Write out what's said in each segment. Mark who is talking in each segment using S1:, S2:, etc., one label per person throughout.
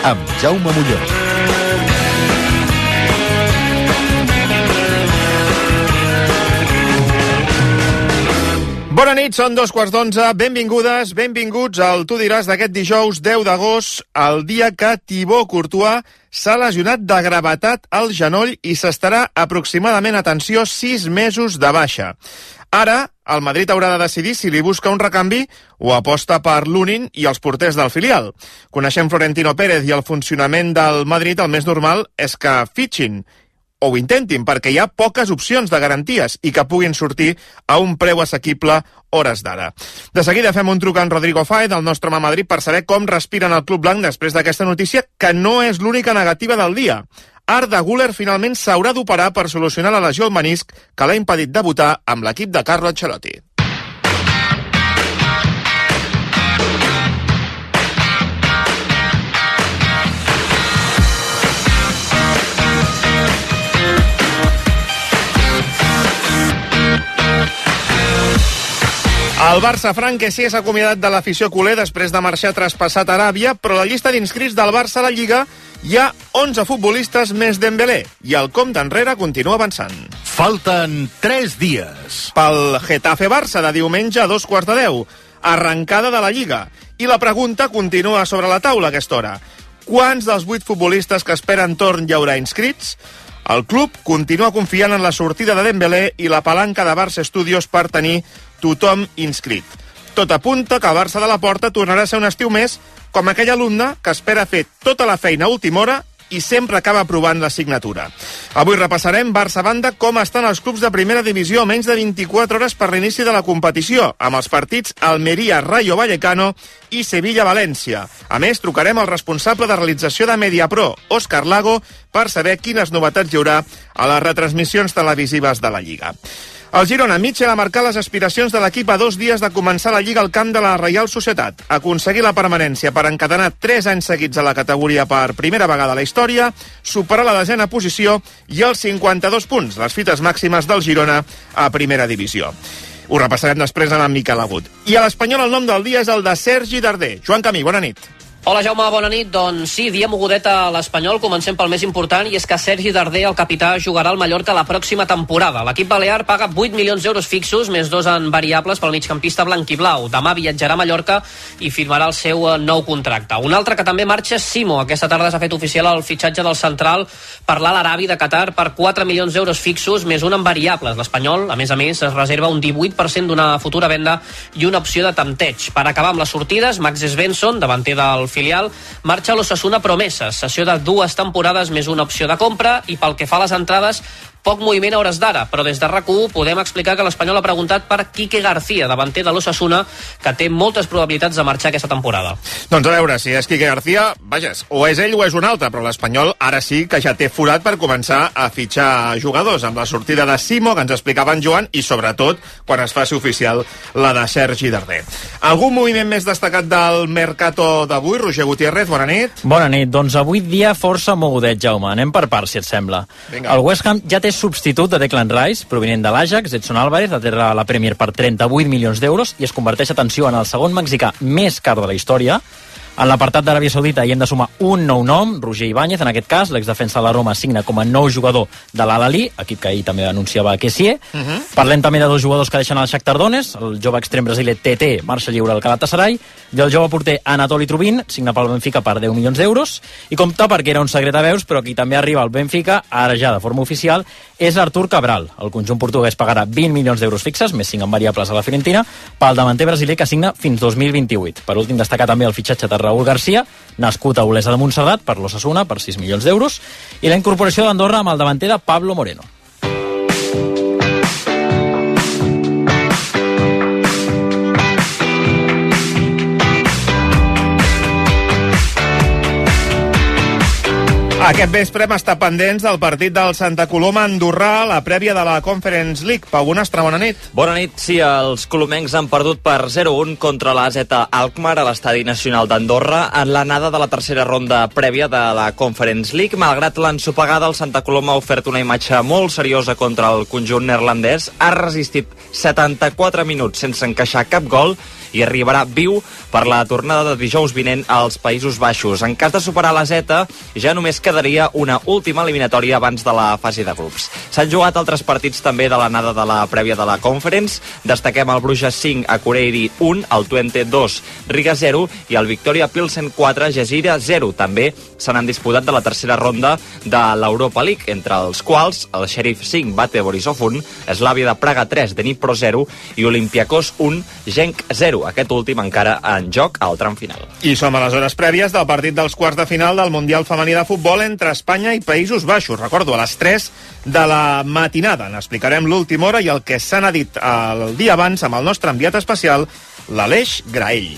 S1: amb Jaume Molló.
S2: Bona nit, són 11:15. Benvingudes, benvinguts al Tu diràs d'aquest dijous 10 d'agost, el dia que Thibaut Courtois s'ha lesionat de gravetat al genoll i s'estarà aproximadament, atenció, 6 mesos de baixa. Ara, el Madrid haurà de decidir si li busca un recanvi o aposta per Lunin i els porters del filial. Coneixem Florentino Pérez i el funcionament del Madrid, el més normal és que fitxin o ho intentin, perquè hi ha poques opcions de garanties i que puguin sortir a un preu assequible hores d'ara. De seguida fem un truc a en Rodrigo Fáez, del nostre home a Madrid, per saber com respiren el Club Blanc després d'aquesta notícia, que no és l'única negativa del dia. Arda Güler finalment s'haurà d'operar per solucionar la lesió al menisc que l'ha impedit debutar amb l'equip de Carlo Ancelotti. El Barça Franquesí s'ha acomiadat de l'afició culer després de marxar traspassat a Aràbia, però a la llista d'inscrits del Barça a la Lliga hi ha 11 futbolistes més Dembélé i el compte enrere continua avançant.
S1: Falten 3 dies.
S2: Pel Getafe-Barça de diumenge a 2:15, arrencada de la Lliga. I la pregunta continua sobre la taula a aquesta hora. Quants dels 8 futbolistes que esperen torn hi haurà inscrits? El club continua confiant en la sortida de Dembélé i la palanca de Barça Studios per tenir tothom inscrit. Tot apunta que el Barça de la Porta tornarà a ser un estiu més com aquell alumne que espera fer tota la feina a última hora i sempre acaba aprovant la signatura. Avui repassarem Barça banda com estan els clubs de primera divisió a menys de 24 hores per l'inici de la competició, amb els partits Almeria-Rayo Vallecano i Sevilla-València. A més, trucarem al responsable de realització de Mediapro, Òscar Lago, per saber quines novetats hi haurà a les retransmissions televisives de la Lliga. El Girona, Mitchell, ha marcat les aspiracions de l'equip a 2 dies de començar la Lliga al camp de la Reial Societat. Aconseguir la permanència per encadenar 3 anys seguits a la categoria per primera vegada a la història, superar la 10ª posició i els 52 punts, les fites màximes del Girona a primera divisió. Ho repassarem després amb en Miquel Agut. I a l'Espanyol el nom del dia és el de Sergi Darder. Joan Camí, bona nit.
S3: Hola Jaume, bona nit. Doncs sí, dia mogudet a l'Espanyol. Comencem pel més important, i és que Sergi Darder, el capità, jugarà al Mallorca la pròxima temporada. L'equip balear paga 8 milions d'euros fixos, més 2 en variables pel migcampista blanquiblau. Demà viatjarà a Mallorca i firmarà el seu nou contracte. Un altre que també marxa és Simo. Aquesta tarda s'ha fet oficial el fitxatge del central per l'Al Arabi de Qatar per 4 milions d'euros fixos, més 1 en variables. L'Espanyol, a més, es reserva un 18% d'una futura venda i una opció de tempteig. Per acabar amb les sortides, Max Svensson, davanter del filial, marxa a l'Osasuna Promeses, sessió de 2 temporades més una opció de compra, i pel que fa a les entrades, poc moviment a hores d'ara, però des de RAC1 podem explicar que l'Espanyol ha preguntat per Quique García, davanter de l'Osasuna, que té moltes probabilitats de marxar aquesta temporada.
S2: Doncs a veure, si és Quique García, vaja, o és ell o és un altre, però l'Espanyol ara sí que ja té forat per començar a fitxar jugadors, amb la sortida de Simo, que ens explicava en Joan, i sobretot quan es faci oficial la de Sergi Darder. Algun moviment més destacat del mercato d'avui? Roger Gutiérrez, bona nit.
S4: Bona nit, doncs avui dia força mogudet, Jaume. Anem per parts, si et sembla.
S2: Vinga.
S4: El West Ham ja té substitut de Declan Rice, provinent de l'Ajax. Edson Álvarez aterra a la Premier per 38 milions d'euros i es converteix, atenció, en el segon mexicà més car de la història. En l'apartat d'Aràbia Saudita hi hem de sumar un nou nom, Roger Ibáñez, en aquest cas, l'exdefensa de la Roma signa com a nou jugador de l'Al-Ahly, equip que ahir també anunciava Kessié. Parlem també de 2 jugadors que deixen el Shakhtar Donetsk, el jove extrem brasiler TT marxa lliure al Galatasaray, i el jove porter Anatoli Trubin signa pel Benfica per 10 milions d'euros, i compte, perquè era un secret a veus, però qui també arriba al Benfica, ara ja de forma oficial, és Artur Cabral. El conjunt portuguès pagarà 20 milions d'euros fixes, més 5 en variables a la Fiorentina, pel davanter brasiler que signa fins 2028. Per últim, destacar també el fitxatge de Raúl García, nascut a Olesa de Montserrat, per l'Osasuna, per 6 milions d'euros, i la incorporació d'Andorra amb el davanter de Pablo Moreno.
S2: Aquest vespre hem estat pendents del partit del Santa Coloma andorrà, la prèvia de la Conference League. Pau Bonastre, bona nit.
S5: Bona nit. Sí, els colomencs han perdut per 0-1 contra l'AZ Alkmaar a l'Estadi Nacional d'Andorra en l'anada de la tercera ronda prèvia de la Conference League. Malgrat l'ensopegada, el Santa Coloma ha ofert una imatge molt seriosa contra el conjunt neerlandès. Ha resistit 74 minuts sense encaixar cap gol i arribarà viu per la tornada de dijous vinent als Països Baixos. En cas de superar la Z, ja només quedaria una última eliminatòria abans de la fase de grups. S'han jugat altres partits també de l'anada de la prèvia de la Conference. Destaquem el Bruges 5, Akureyri 1, el Twente 2, Riga 0 i el Victoria Pilsen 4, Gezira 0. També se n'han disputat de la tercera ronda de l'Europa League, entre els quals el Sheriff 5, Bate Borisov 1, Slavia de Praga 3, Dnipro 0 i Olympiacos 1, Genk 0. Aquest últim encara en joc al tram final.
S2: I som a les hores prèvies del partit dels quarts de final del Mundial Femení de Futbol entre Espanya i Països Baixos. Recordo, a les 3 de la matinada. N'explicarem l'última hora i el que s'ha dit el dia abans amb el nostre enviat especial, l'Aleix Graell.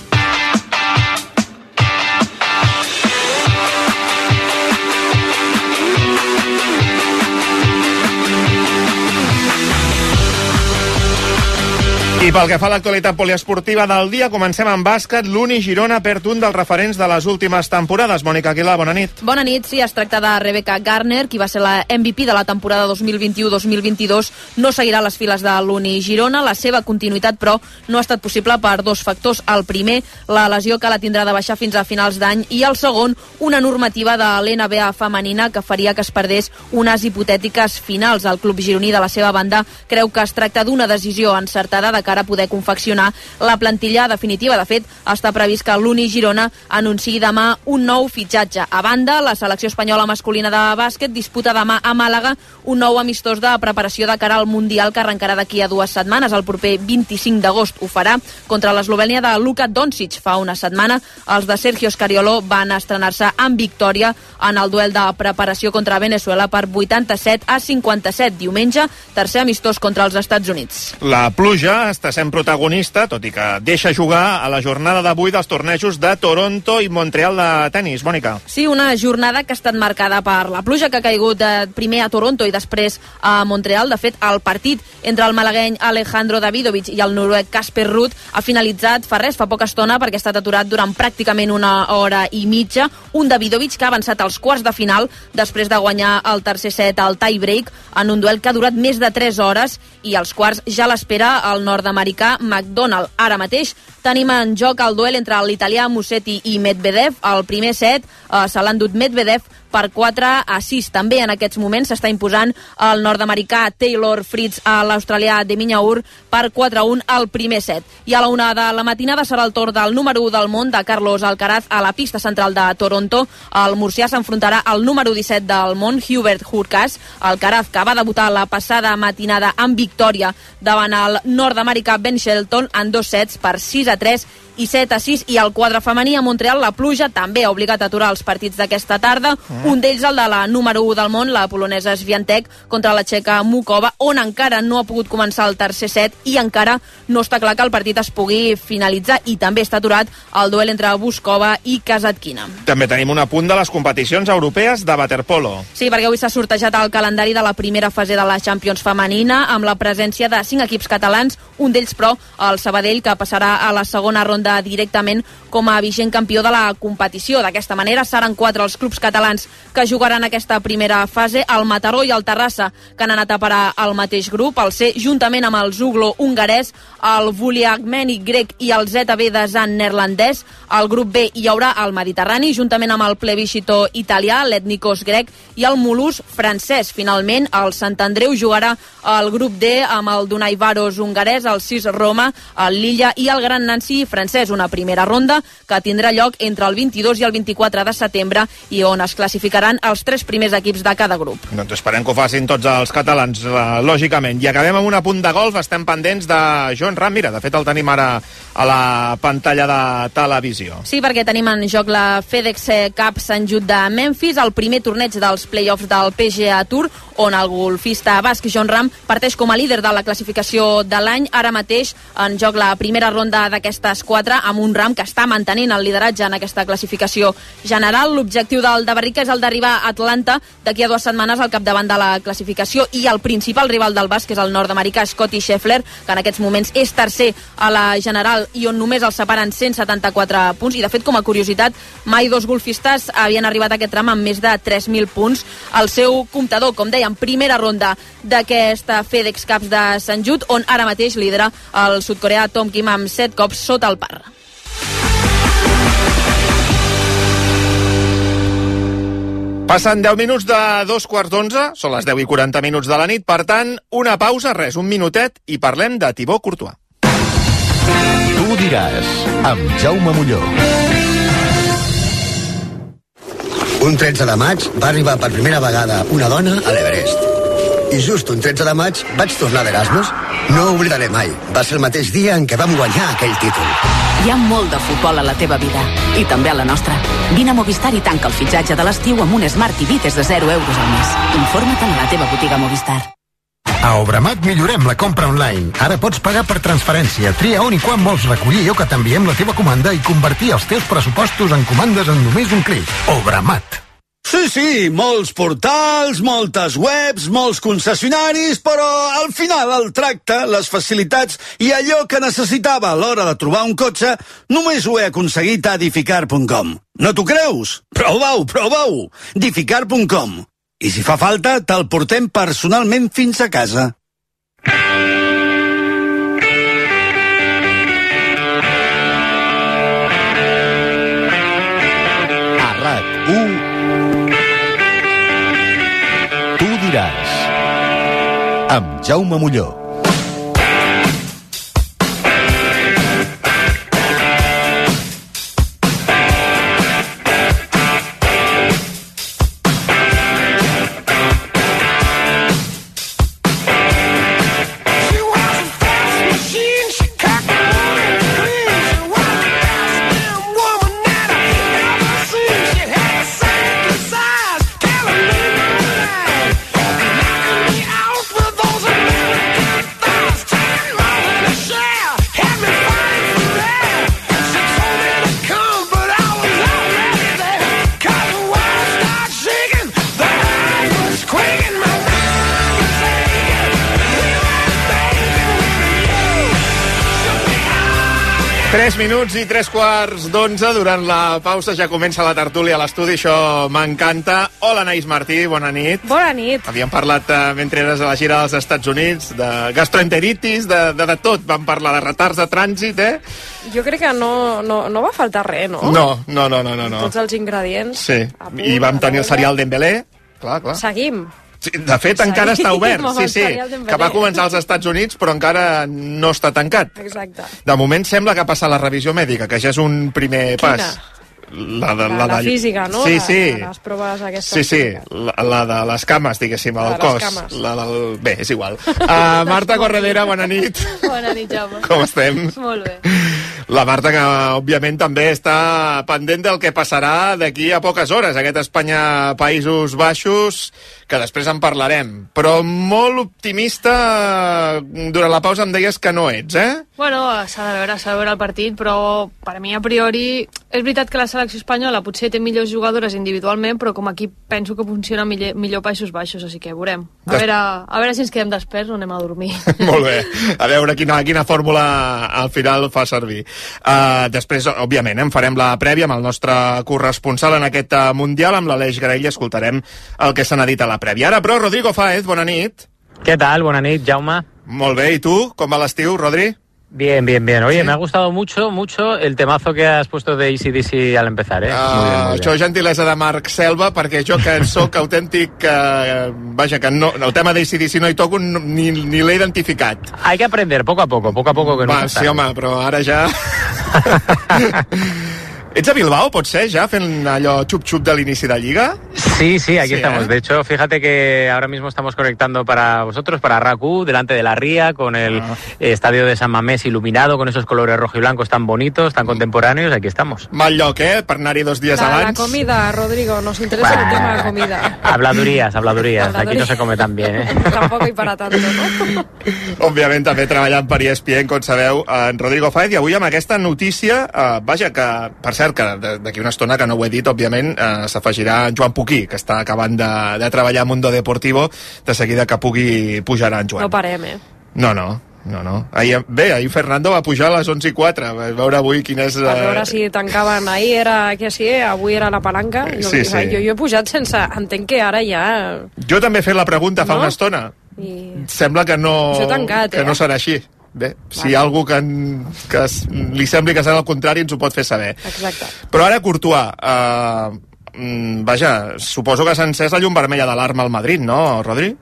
S2: I pel que fa a l'actualitat poliesportiva del dia, comencem amb bàsquet. L'Uni Girona perd un dels referents de les últimes temporades. Mònica Aguilar, bona nit.
S6: Bona nit, sí, es tracta de Rebecca Garner, qui va ser la MVP de la temporada 2021-2022. No seguirà les files de l'Uni Girona. La seva continuïtat, però, no ha estat possible per dos factors. El primer, la lesió que la tindrà de baixar fins a finals d'any, i el segon, una normativa de l'NBA femenina que faria que es perdés unes hipotètiques finals. El club gironí, de la seva banda, creu que es tracta d'una decisió encertada de cara a poder confeccionar la plantilla definitiva. De fet, està previst que l'Uni Girona anunciï demà un nou fitxatge. A banda, la selecció espanyola masculina de bàsquet disputa demà a Màlaga un nou amistós de preparació de cara al Mundial que arrencarà d'aquí a 2 setmanes. El proper 25 d'agost ho farà contra l'Eslovènia de Luka Doncic. Fa una setmana, els de Sergio Scariolo van estrenar-se amb victòria en el duel de preparació contra Venezuela per 87-57. Diumenge, tercer amistós contra els Estats Units.
S2: La pluja està sent protagonista, tot i que deixa jugar a la jornada d'avui dels tornejos de Toronto i Montreal de tennis. Mònica.
S6: Sí, una jornada que ha estat marcada per la pluja que ha caigut primer a Toronto i després a Montreal. De fet, el partit entre el malagueny Alejandro Davidovich i el noruec Casper Ruud ha finalitzat fa poca estona, perquè ha estat aturat durant pràcticament una hora i mitja. Un Davidovich que ha avançat als quarts de final després de guanyar el tercer set al tie-break en un duel que ha durat més de 3 hores, i als quarts ja l'espera el nord-americà McDonald. Ara mateix tenim en joc el duel entre l'italià Musetti i Medvedev. El primer set se l'ha endut Medvedev per 4-6. També en aquests moments s'està imposant el nord-americà Taylor Fritz a l'australià Demian Maia per 4-1 al primer set. I a la 1 de la matinada serà el torn del número 1 del món, de Carlos Alcaraz, a la pista central de Toronto. El murcià s'enfrontarà al número 17 del món, Hubert Hurkacz. Alcaraz, que va debutar la passada matinada amb victòria davant el nord-americà Ben Shelton en 2 sets per 6-3 i 7-6. I al quadre femení a Montreal, la pluja també ha obligat a aturar els partits d'aquesta tarda. Un d'ells, el de la número 1 del món, la polonesa Swiatek, contra la txeca Mukova, on encara no ha pogut començar el tercer set i encara no està clar que el partit es pugui finalitzar. I també està aturat el duel entre Buskova i Kasatkina.
S2: També tenim un apunt de les competicions europees de waterpolo.
S6: Sí, perquè avui s'ha sortejat el calendari de la primera fase de la Champions femenina, amb la presència de 5 equips catalans, un d'ells, però, el Sabadell, que passarà a la segona ronda directament com a vigent campió de la competició. D'aquesta manera seran 4 els clubs catalans que jugaran aquesta primera fase: el Mataró i el Terrassa, que han anat a parar al mateix grup; el C, juntament amb el Zuglo hongarès, el Vuliagmeni grec i el ZB de Zan neerlandès. Al grup B hi haurà el Mediterrani, juntament amb el Plebiscito italià, l'Etnikos grec i el Mulhouse francès. Finalment, el Sant Andreu jugarà al grup D amb el Dunai Varos hongarès, el Sis Roma, el Lilla i el Gran Nancy francès. Una primera ronda que tindrà lloc entre el 22 i el 24 de setembre i on es classificaran els 3 primers equips de cada grup.
S2: Doncs esperem que ho facin tots els catalans, lògicament. I acabem amb un apunt de golf. Estem pendents de Jon Rahm. Mira, de fet el tenim ara a la pantalla de televisió.
S6: Sí, perquè tenim en joc la FedEx Cup Sant Jude de Memphis, el primer torneig dels play-offs del PGA Tour, on el golfista basc Jon Rahm parteix com a líder de la classificació de l'any. Ara mateix en joc la primera ronda d'aquestes 4 amb un Rahm que està mantenint el lideratge en aquesta classificació general. L'objectiu del de Barrica és el d'arribar a Atlanta d'aquí a 2 setmanes al capdavant de la classificació, i el principal rival del basc és el nord-americà Scottie Scheffler, que en aquests moments és tercer a la general i on només els separen 174 punts, i de fet, com a curiositat, mai 2 golfistes havien arribat a aquest tram amb més de 3.000 punts. El seu comptador, com dèiem, primera ronda d'aquesta FedEx Cup de Sant Just, on ara mateix lidera el sud-coreà Tom Kim amb 7 cops sota el par.
S2: Passen 10 minuts de 2:15, són les 10:40 de la nit, per tant, una pausa, res, un minutet, i parlem de Thibaut Courtois.
S1: Tu diràs, amb Jaume Molló.
S7: Un 13 de maig va arribar per primera vegada una dona a l'Everest. I just un 13 de maig vaig tornar d'Erasmus. No ho oblidaré mai. Va ser el mateix dia en què vam guanyar aquell títol.
S8: Hi ha molt de futbol a la teva vida, i també a la nostra. Vine a Movistar i tanca el fitxatge de l'estiu amb un Smart TV des de 0 euros al mes. Informa't a la teva botiga Movistar.
S9: A Obramat millorem la compra online. Ara pots pagar per transferència. Tria on i quan vols recollir o que t'enviem la teva comanda i convertir els teus pressupostos en comandes en només un clic. Obramat.
S10: Sí, molts portals, moltes webs, molts concessionaris, però al final el tracte, les facilitats i allò que necessitava a l'hora de trobar un cotxe només ho he aconseguit a Edificar.com. No t'ho creus? Prova-ho! Edificar.com. I si fa falta, te'l portem personalment fins a casa.
S1: A RAC1 Tu diràs, amb Jaume Molló.
S2: Minuts i 3:15 durant la pausa ja comença la tertúlia a l'estudi, això m'encanta. Hola, Anaïs Martí, bona nit.
S11: Bona nit.
S2: Havíem parlat mentre eres a la gira dels Estats Units de gastroenteritis, de tot, vam parlar de retards de trànsit,
S11: Jo crec que no va faltar res, no?
S2: No.
S11: Tots els ingredients.
S2: Sí, i vam tenir el cereal Dembélé, clar.
S11: Seguim.
S2: Sí, de fet, encara està obert, sí, que va començar als Estats Units, però encara no està tancat.
S11: Exacte.
S2: De moment sembla que ha passat la revisió mèdica, que ja és un primer pas.
S11: La física, no?
S2: Sí.
S11: Les proves aquestes.
S2: Sí, la de les cames, diguéssim, al cos. Bé, és igual. Marta Corredera, bona nit.
S12: Bona nit, Jaume.
S2: Com estem?
S12: Molt bé.
S2: La Marta, que òbviament també està pendent del que passarà d'aquí a poques hores, aquest Espanya-Països Baixos, que després en parlarem. Però molt optimista, durant la pausa em deies que no ets,
S12: Bueno, s'ha de veure el partit, però per mi a priori és veritat que la selecció espanyola potser té millors jugadores individualment, però com a equip penso que funciona millor Països Baixos, així que veurem. A veure si ens quedem desperts o anem a dormir.
S2: Molt bé, a veure quina fórmula al final fa servir. Després, òbviament, en farem la prèvia amb el nostre corresponsal en aquest Mundial, amb l'Aleix Graell, i escoltarem el que se n'ha dit a la prèvia. Ara, però, Rodrigo Fáez, bona nit.
S13: ¿Qué tal? Buena nit, Jaume.
S2: Molt bé, i tu? Com va l'estiu, Rodri?
S13: Bien. Oye, ¿sí? Me ha gustado mucho el temazo que has pusto de AC/DC al empezar, Muy bien.
S2: Això és gentilesa de Marc Selva, perquè jo que sóc autèntic, que no, el tema de AC/DC no hi toco ni l'he identificat.
S13: Hay que aprender poco a poco que no.
S2: Sí, home, però ara ja... Ets a Bilbao, pot ser, ja, fent allò xup-xup de l'inici de Lliga?
S13: Sí, aquí estamos. De hecho, fíjate que ahora mismo estamos conectando para vosotros, para RAC1, delante de la ría, con el estadio de San Mamés iluminado, con esos colores rojo y blancos tan bonitos, tan contemporáneos. Aquí estamos.
S2: Mal lloc, per anar-hi 2 dies abans.
S11: La comida, Rodrigo, nos interesa el tema de la comida.
S13: Habladurías. Aquí no se come tan bien,
S11: Tampoc hi para tanto, no?
S2: Òbviament, també treballant per ESPN, com sabeu, en Rodrigo Fáez, i avui amb aquesta notícia, vaja, que, per cert, que d'aquí una estona, que no ho he dit, òbviament, s'afegirà en Joan Puquí, que està acabant de treballar a Mundo Deportivo, de seguida que pugui pujarà en Joan.
S11: No parem,
S2: No. Ahir Fernando va pujar a les 11:04, a veure avui quin és...
S11: Per veure si tancaven ahir, era que sí, avui era la palanca.
S2: Sí.
S11: Jo he pujat sense... Entenc que ara ja...
S2: Jo també he fet la pregunta fa una estona. Sembla que no serà així. Bé, si hi ha algú que li sembli que serà el contrari, ens ho pot fer saber.
S11: Exacte.
S2: Però ara, Courtois, vaja, suposo que s'ha encès la llum vermella d'alarma al Madrid, ¿no, Rodri?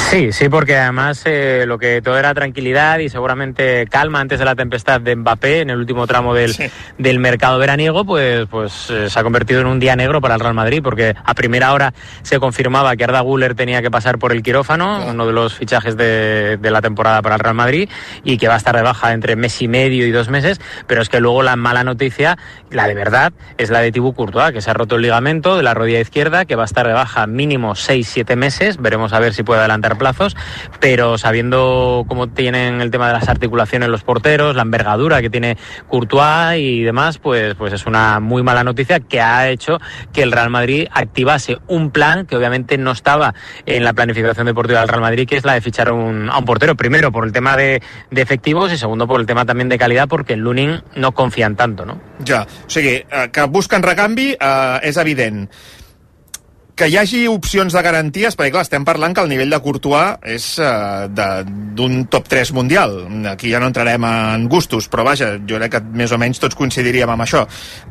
S13: Sí, porque además lo que todo era tranquilidad y seguramente calma antes de la tempestad de Mbappé en el último tramo del mercado veraniego, pues se ha convertido en un día negro para el Real Madrid, porque a primera hora se confirmaba que Arda Güler tenía que pasar por el quirófano, uno de los fichajes de la temporada para el Real Madrid, y que va a estar de baja entre mes y medio y 2 meses, pero es que luego la mala noticia, la de verdad, es la de Thibaut Courtois, que se ha roto el ligamento de la rodilla izquierda, que va a estar de baja mínimo 6-7 meses, veremos a ver si puede adelantar plazos, pero sabiendo cómo tienen el tema de las articulaciones los porteros, la envergadura que tiene Courtois y demás, pues es una muy mala noticia que ha hecho que el Real Madrid activase un plan que obviamente no estaba en la planificación deportiva del Real Madrid, que es la de fichar a un portero, primero por el tema de efectivos y segundo por el tema también de calidad, porque en Lunin no confían tanto, ¿no?
S2: Ja, o sigui, que busquen recanvi és evident. Que hi hagi opcions de garanties, perquè clar, estem parlant que el nivell de Courtois és d'un top 3 mundial. Aquí ja no entrarem en gustos, però vaja, jo crec que més o menys tots coincidiríem amb això.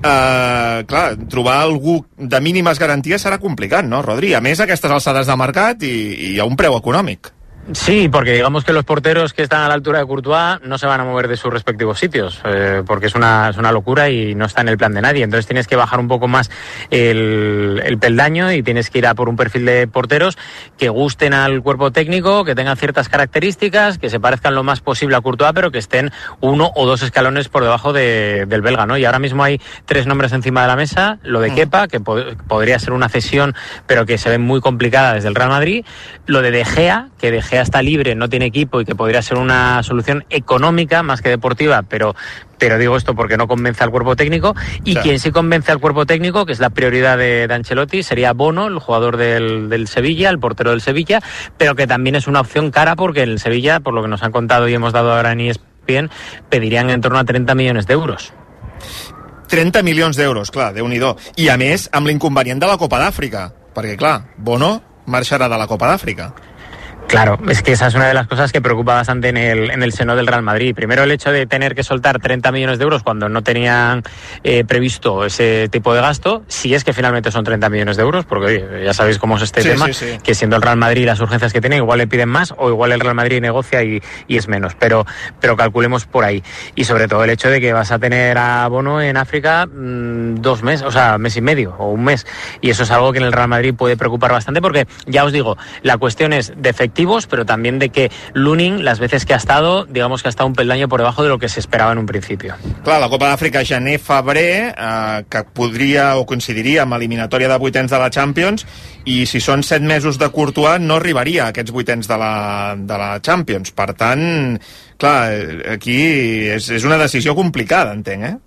S2: Clar, trobar algú de mínimes garanties serà complicat, no, Rodri? A més, aquestes alçades de mercat i a un preu econòmic.
S13: Sí, porque digamos que los porteros que están a la altura de Courtois no se van a mover de sus respectivos sitios, porque es una locura y no está en el plan de nadie. Entonces tienes que bajar un poco más el peldaño y tienes que ir a por un perfil de porteros que gusten al cuerpo técnico, que tengan ciertas características, que se parezcan lo más posible a Courtois, pero que estén 1 o 2 escalones por debajo del belga, ¿no? Y ahora mismo hay 3 nombres encima de la mesa: lo de Kepa, que podría ser una cesión, pero que se ve muy complicada desde el Real Madrid; lo de Gea, que De Gea está libre, no tiene equipo y que podría ser una solución económica más que deportiva, pero digo esto porque no convence al cuerpo técnico, y quien sí convence al cuerpo técnico, que es la prioridad de Ancelotti, sería Bono, el jugador del Sevilla, el portero del Sevilla, pero que también es una opción cara, porque el Sevilla, por lo que nos han contado y hemos dado ahora en ESPN, pedirían en torno a 30 millones de euros.
S2: 30 milions d'euros, clar, Déu-n'hi-do. I a més, amb l'inconvenient de la Copa d'Àfrica, perquè clar, Bono marxarà de la Copa d'Àfrica.
S13: Claro, es que esa es una de las cosas que preocupa bastante en el seno del Real Madrid. Primero, el hecho de tener que soltar 30 millones de euros cuando no tenían previsto ese tipo de gasto, si es que finalmente son 30 millones de euros, porque oye, ya sabéis cómo es este tema, que siendo el Real Madrid las urgencias que tiene, igual le piden más o igual el Real Madrid negocia y es menos, pero calculemos por ahí. Y sobre todo el hecho de que vas a tener a Bono en África 2 meses, o sea, mes y medio o un mes, y eso es algo que en el Real Madrid puede preocupar bastante, porque ya os digo, la cuestión es de efectivos, pero también de que Lunin, las veces que ha estado, digamos que ha estado un peldaño por debajo de lo que se esperaba en un principio.
S2: Clar, la Copa d'Àfrica gener-febrer, que podria o coincidiria amb l'eliminatòria de 8ens de la Champions, i si són 7 mesos de Courtois no arribaria a aquests 8ens de la Champions. Per tant, clar, aquí és una decisió complicada, entenc,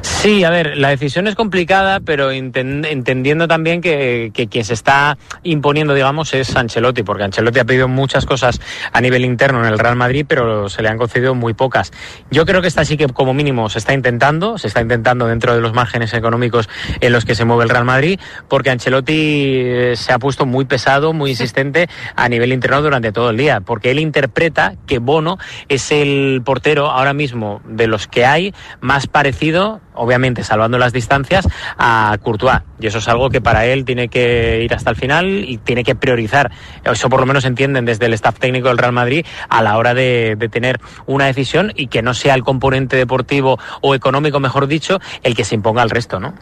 S13: Sí, a ver, la decisión es complicada, pero entendiendo también que quien se está imponiendo, digamos, es Ancelotti, porque Ancelotti ha pedido muchas cosas a nivel interno en el Real Madrid, pero se le han concedido muy pocas. Yo creo que esta sí que como mínimo se está intentando dentro de los márgenes económicos en los que se mueve el Real Madrid, porque Ancelotti se ha puesto muy pesado, muy insistente a nivel interno durante todo el día, porque él interpreta que Bono es el portero ahora mismo de los que hay más parecido obviamente salvando las distancias, a Courtois. Y eso es algo que para él tiene que ir hasta el final y tiene que priorizar. Eso por lo menos entienden desde el staff técnico del Real Madrid a la hora de tener una decisión y que no sea el componente deportivo o econòmico, mejor dicho, el que s'imponga al resto, no?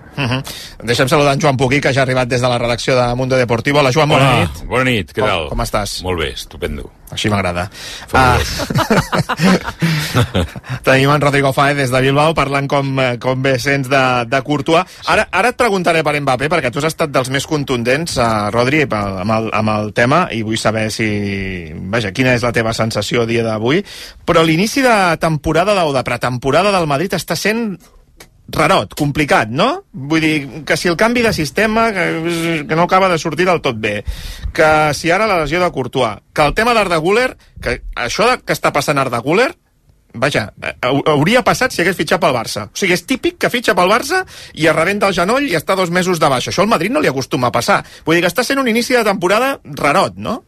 S2: Deixem saludar en Joan Puguí, que ja ha arribat des de la redacció de Mundo Deportivo. Hola, Joan, bona nit.
S14: Bona nit, què tal?
S2: Com estàs?
S14: Molt bé, estupendo.
S2: Així m'agrada. Tenim en Rodrigo Fáez des de Bilbao parlant com bé sents de Courtois. Ara et preguntaré per Mbappé, perquè tu has estat dels més contundents, Rodri, amb el tema, i vull saber quina és la teva sensació a dia d'avui. Però l'inici de temporada o de pretemporada del Madrid està sent rarot, complicat, no? Vull dir, que si el canvi de sistema que no acaba de sortir del tot bé, que si ara la lesió de Courtois, que el tema d'Arda Güler, que això que està passant Arda Güler, hauria passat si hagués fitxat pel Barça. O sigui, és típic que fitxa pel Barça i es rebenta el genoll i està 2 mesos de baixa. Això al Madrid no li acostuma a passar. Vull dir que està sent un inici de temporada rarot, no?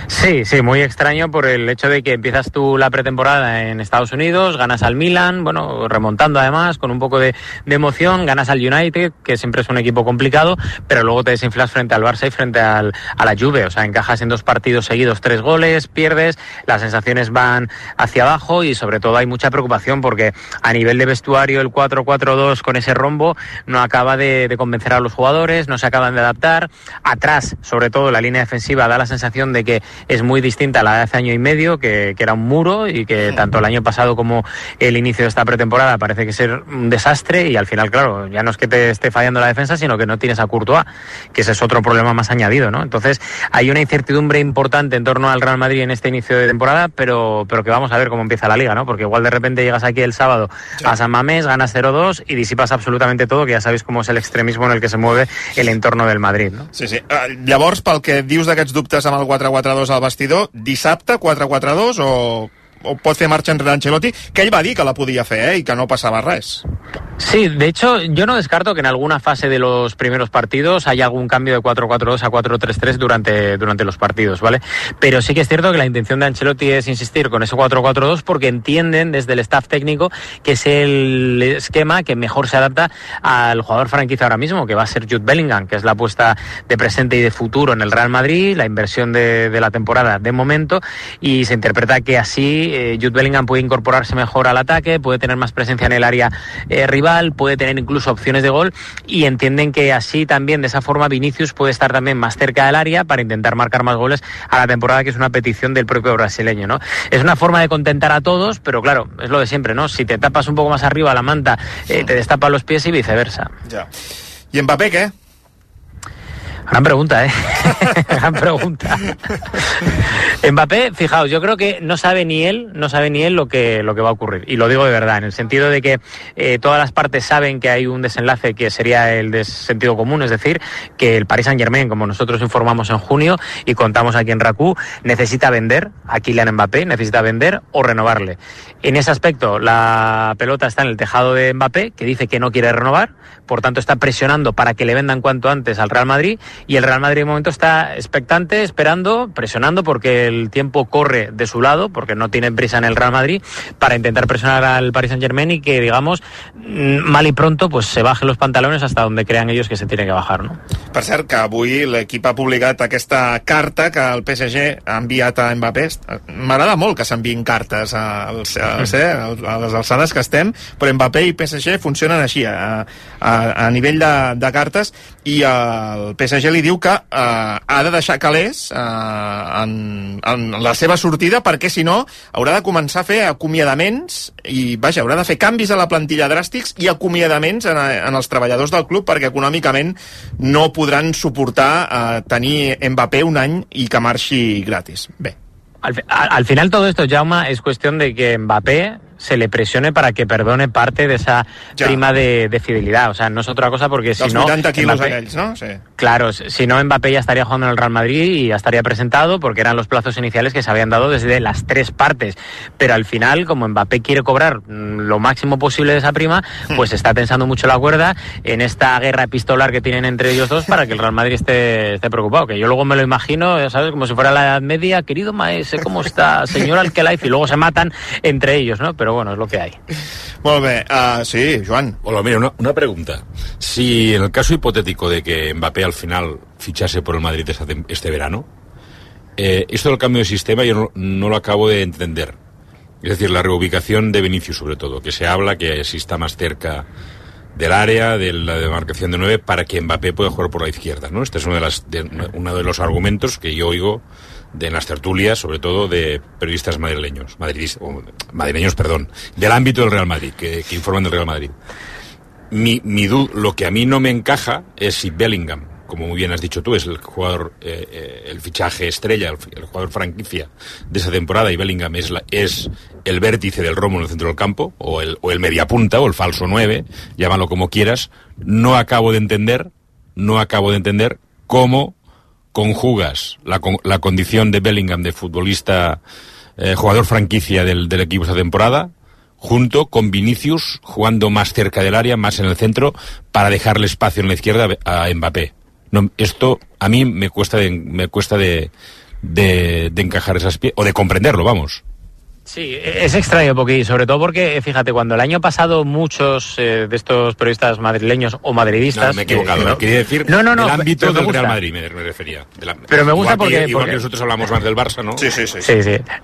S13: Sí, muy extraño por el hecho de que empiezas tú la pretemporada en Estados Unidos, ganas al Milan, bueno, remontando además, con un poco de emoción, ganas al United, que siempre es un equipo complicado, pero luego te desinflas frente al Barça y frente a la Juve, o sea, encajas en 2 partidos seguidos 3 goles, pierdes, las sensaciones van hacia abajo y sobre todo hay mucha preocupación porque a nivel de vestuario el 4-4-2 con ese rombo no acaba de convencer a los jugadores, no se acaban de adaptar, atrás, sobre todo la línea defensiva da la sensación de que es muy distinta a la de hace año y medio, que era un muro y que tanto el año pasado como el inicio de esta pretemporada parece que ser un desastre y al final, claro, ya no es que te esté fallando la defensa, sino que no tienes a Courtois, que ese es otro problema más añadido, ¿no? Entonces hay una incertidumbre importante en torno al Real Madrid en este inicio de temporada, pero que vamos a ver cómo empieza la Liga, ¿no? Porque igual de repente llegas aquí el sábado a San Mamés, ganas 0-2 y disipas absolutamente todo, que ya sabéis cómo es el extremismo en el que se mueve el entorno del Madrid, ¿no?
S2: Sí. Llavors, pel que dius d'aquests dubtes amb el 4-4-2 al vestidor, dissabte 4-4-2 o pot fer marxa enrere Ancelotti, que ell va dir que la podia fer, i que no passava res.
S13: Sí, de hecho, yo no descarto que en alguna fase de los primeros partidos haya algún cambio de 4-4-2 a 4-3-3 durante los partidos, ¿vale? Pero sí que es cierto que la intención de Ancelotti es insistir con ese 4-4-2 porque entienden desde el staff técnico que es el esquema que mejor se adapta al jugador franquicia ahora mismo, que va a ser Jude Bellingham, que es la apuesta de presente y de futuro en el Real Madrid, la inversión de la temporada de momento, y se interpreta que así Jude Bellingham puede incorporarse mejor al ataque, puede tener más presencia en el área rival, puede tener incluso opciones de gol, y entienden que así también, de esa forma, Vinicius puede estar también más cerca del área para intentar marcar más goles a la temporada, que es una petición del propio brasileño, ¿no? Es una forma de contentar a todos, pero claro, es lo de siempre, ¿no? Si te tapas un poco más arriba la manta, te destapan los pies y viceversa.
S2: Ya. ¿Y Mbappé qué?
S13: Gran pregunta, Gran pregunta. Mbappé, fijaos, yo creo que no sabe ni él lo que va a ocurrir. Y lo digo de verdad, en el sentido de que todas las partes saben que hay un desenlace que sería el de sentido común, es decir, que el Paris Saint-Germain, como nosotros informamos en junio y contamos aquí en RAC1, necesita vender a Kylian Mbappé, necesita vender o renovarle. En ese aspecto, la pelota está en el tejado de Mbappé, que dice que no quiere renovar, por tanto está presionando para que le vendan cuanto antes al Real Madrid, y el Real Madrid de momento está expectante, esperando, presionando, porque el tiempo corre de su lado, porque no tienen prisa en el Real Madrid, para intentar presionar al Paris Saint-Germain y que, digamos, mal y pronto, pues se bajen los pantalones hasta donde crean ellos que se tiene que bajar, ¿no?
S2: Per cert, que avui l'equip ha publicat aquesta carta que el PSG ha enviat a Mbappé. M'agrada molt que s'enviïn cartes a les alçades que estem, però Mbappé i PSG funcionen així, a nivell de cartes, i el PSG li diu que ha de deixar calés en la seva sortida, perquè si no haurà de començar a fer acomiadaments i, haurà de fer canvis a la plantilla dràstics i acomiadaments en els treballadors del club, perquè econòmicament no podran suportar tenir Mbappé un any i que marxi gratis. Bé.
S13: Al final todo esto, Jaume, es cuestión de que Mbappé se le presione para que perdone parte de esa prima de fidelidad. O sea, no es otra cosa, porque si no...
S2: 80 kilos aquells, ¿no? Sí.
S13: Claro, si no, Mbappé ya estaría jugando en el Real Madrid y ya estaría presentado, porque eran los plazos iniciales que se habían dado desde las 3 partes. Pero al final, como Mbappé quiere cobrar lo máximo posible de esa prima, pues está tensando mucho la cuerda en esta guerra epistolar que tienen entre ellos dos, para que el Real Madrid esté preocupado. Que yo luego me lo imagino, ¿sabes? Como si fuera la Edad Media: querido maese, ¿cómo está, señor Alquelife? Y luego se matan entre ellos, ¿no? Pero pero bueno, es lo que hay.
S2: Molt bé, sí, Joan.
S14: Hola, mira, una pregunta. Si en el caso hipotético de que Mbappé al final fichase por el Madrid este verano, esto del cambio de sistema yo no lo acabo de entender. Es decir, la reubicación de Vinicius, sobre todo, que se habla que si está más cerca del área, de la demarcación de 9, para que Mbappé pueda jugar por la izquierda, ¿no? Este es uno de los argumentos que yo oigo en las tertulias, sobre todo de periodistas madrileños, del ámbito del Real Madrid, que informan del Real Madrid. Lo que a mí no me encaja es si Bellingham, como muy bien has dicho tú, es el jugador, el fichaje estrella, el jugador franquicia de esa temporada, y Bellingham es el vértice del romo en el centro del campo, o el mediapunta, o el falso 9, llámalo como quieras. No acabo de entender cómo conjugas la condición de Bellingham de futbolista, jugador franquicia del equipo esta temporada, junto con Vinicius jugando más cerca del área, más en el centro, para dejarle espacio en la izquierda a Mbappé. No, esto a mí me cuesta de encajar esas piezas, o de comprenderlo, vamos.
S13: Sí, es extraño, porque sobre todo porque, fíjate, cuando el año pasado muchos de estos periodistas madrileños o madridistas...
S14: No, me he equivocado, quería decir del ámbito del Real Madrid, me refería.
S13: Pero me gusta
S14: igual que nosotros hablamos más del Barça, ¿no?
S13: Sí.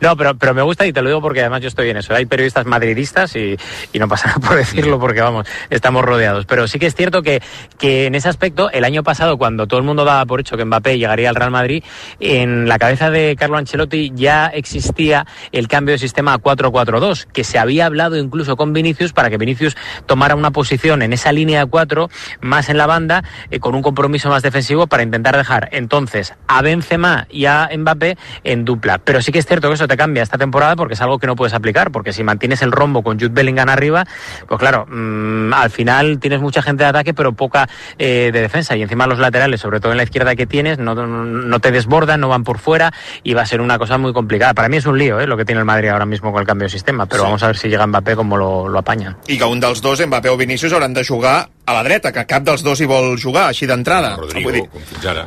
S13: No, pero me gusta, y te lo digo porque además yo estoy en eso. Hay periodistas madridistas y no pasa nada por decirlo, porque vamos, estamos rodeados. Pero sí que es cierto que en ese aspecto, el año pasado, cuando todo el mundo daba por hecho que Mbappé llegaría al Real Madrid, en la cabeza de Carlo Ancelotti ya existía el cambio de sistema a 4-4-2, que se había hablado incluso con Vinicius para que Vinicius tomara una posición en esa línea 4, más en la banda, con un compromiso más defensivo, para intentar dejar entonces a Benzema y a Mbappé en dupla. Pero sí que es cierto que eso te cambia esta temporada, porque es algo que no puedes aplicar, porque si mantienes el rombo con Jude Bellingham arriba, pues claro, al final tienes mucha gente de ataque pero poca de defensa, y encima los laterales, sobre todo en la izquierda que tienes, no te desbordan, no van por fuera, y va a ser una cosa muy complicada. Para mí es un lío lo que tiene el Madrid ahora mismo con el cambio de sistema, però vamos a ver si llega Mbappé com lo apanya.
S2: I que un dels dos, Mbappé o Vinícius, hauran de jugar a la dreta, que cap dels dos hi vol jugar així d'entrada.
S14: Rodrigo, com fins ara.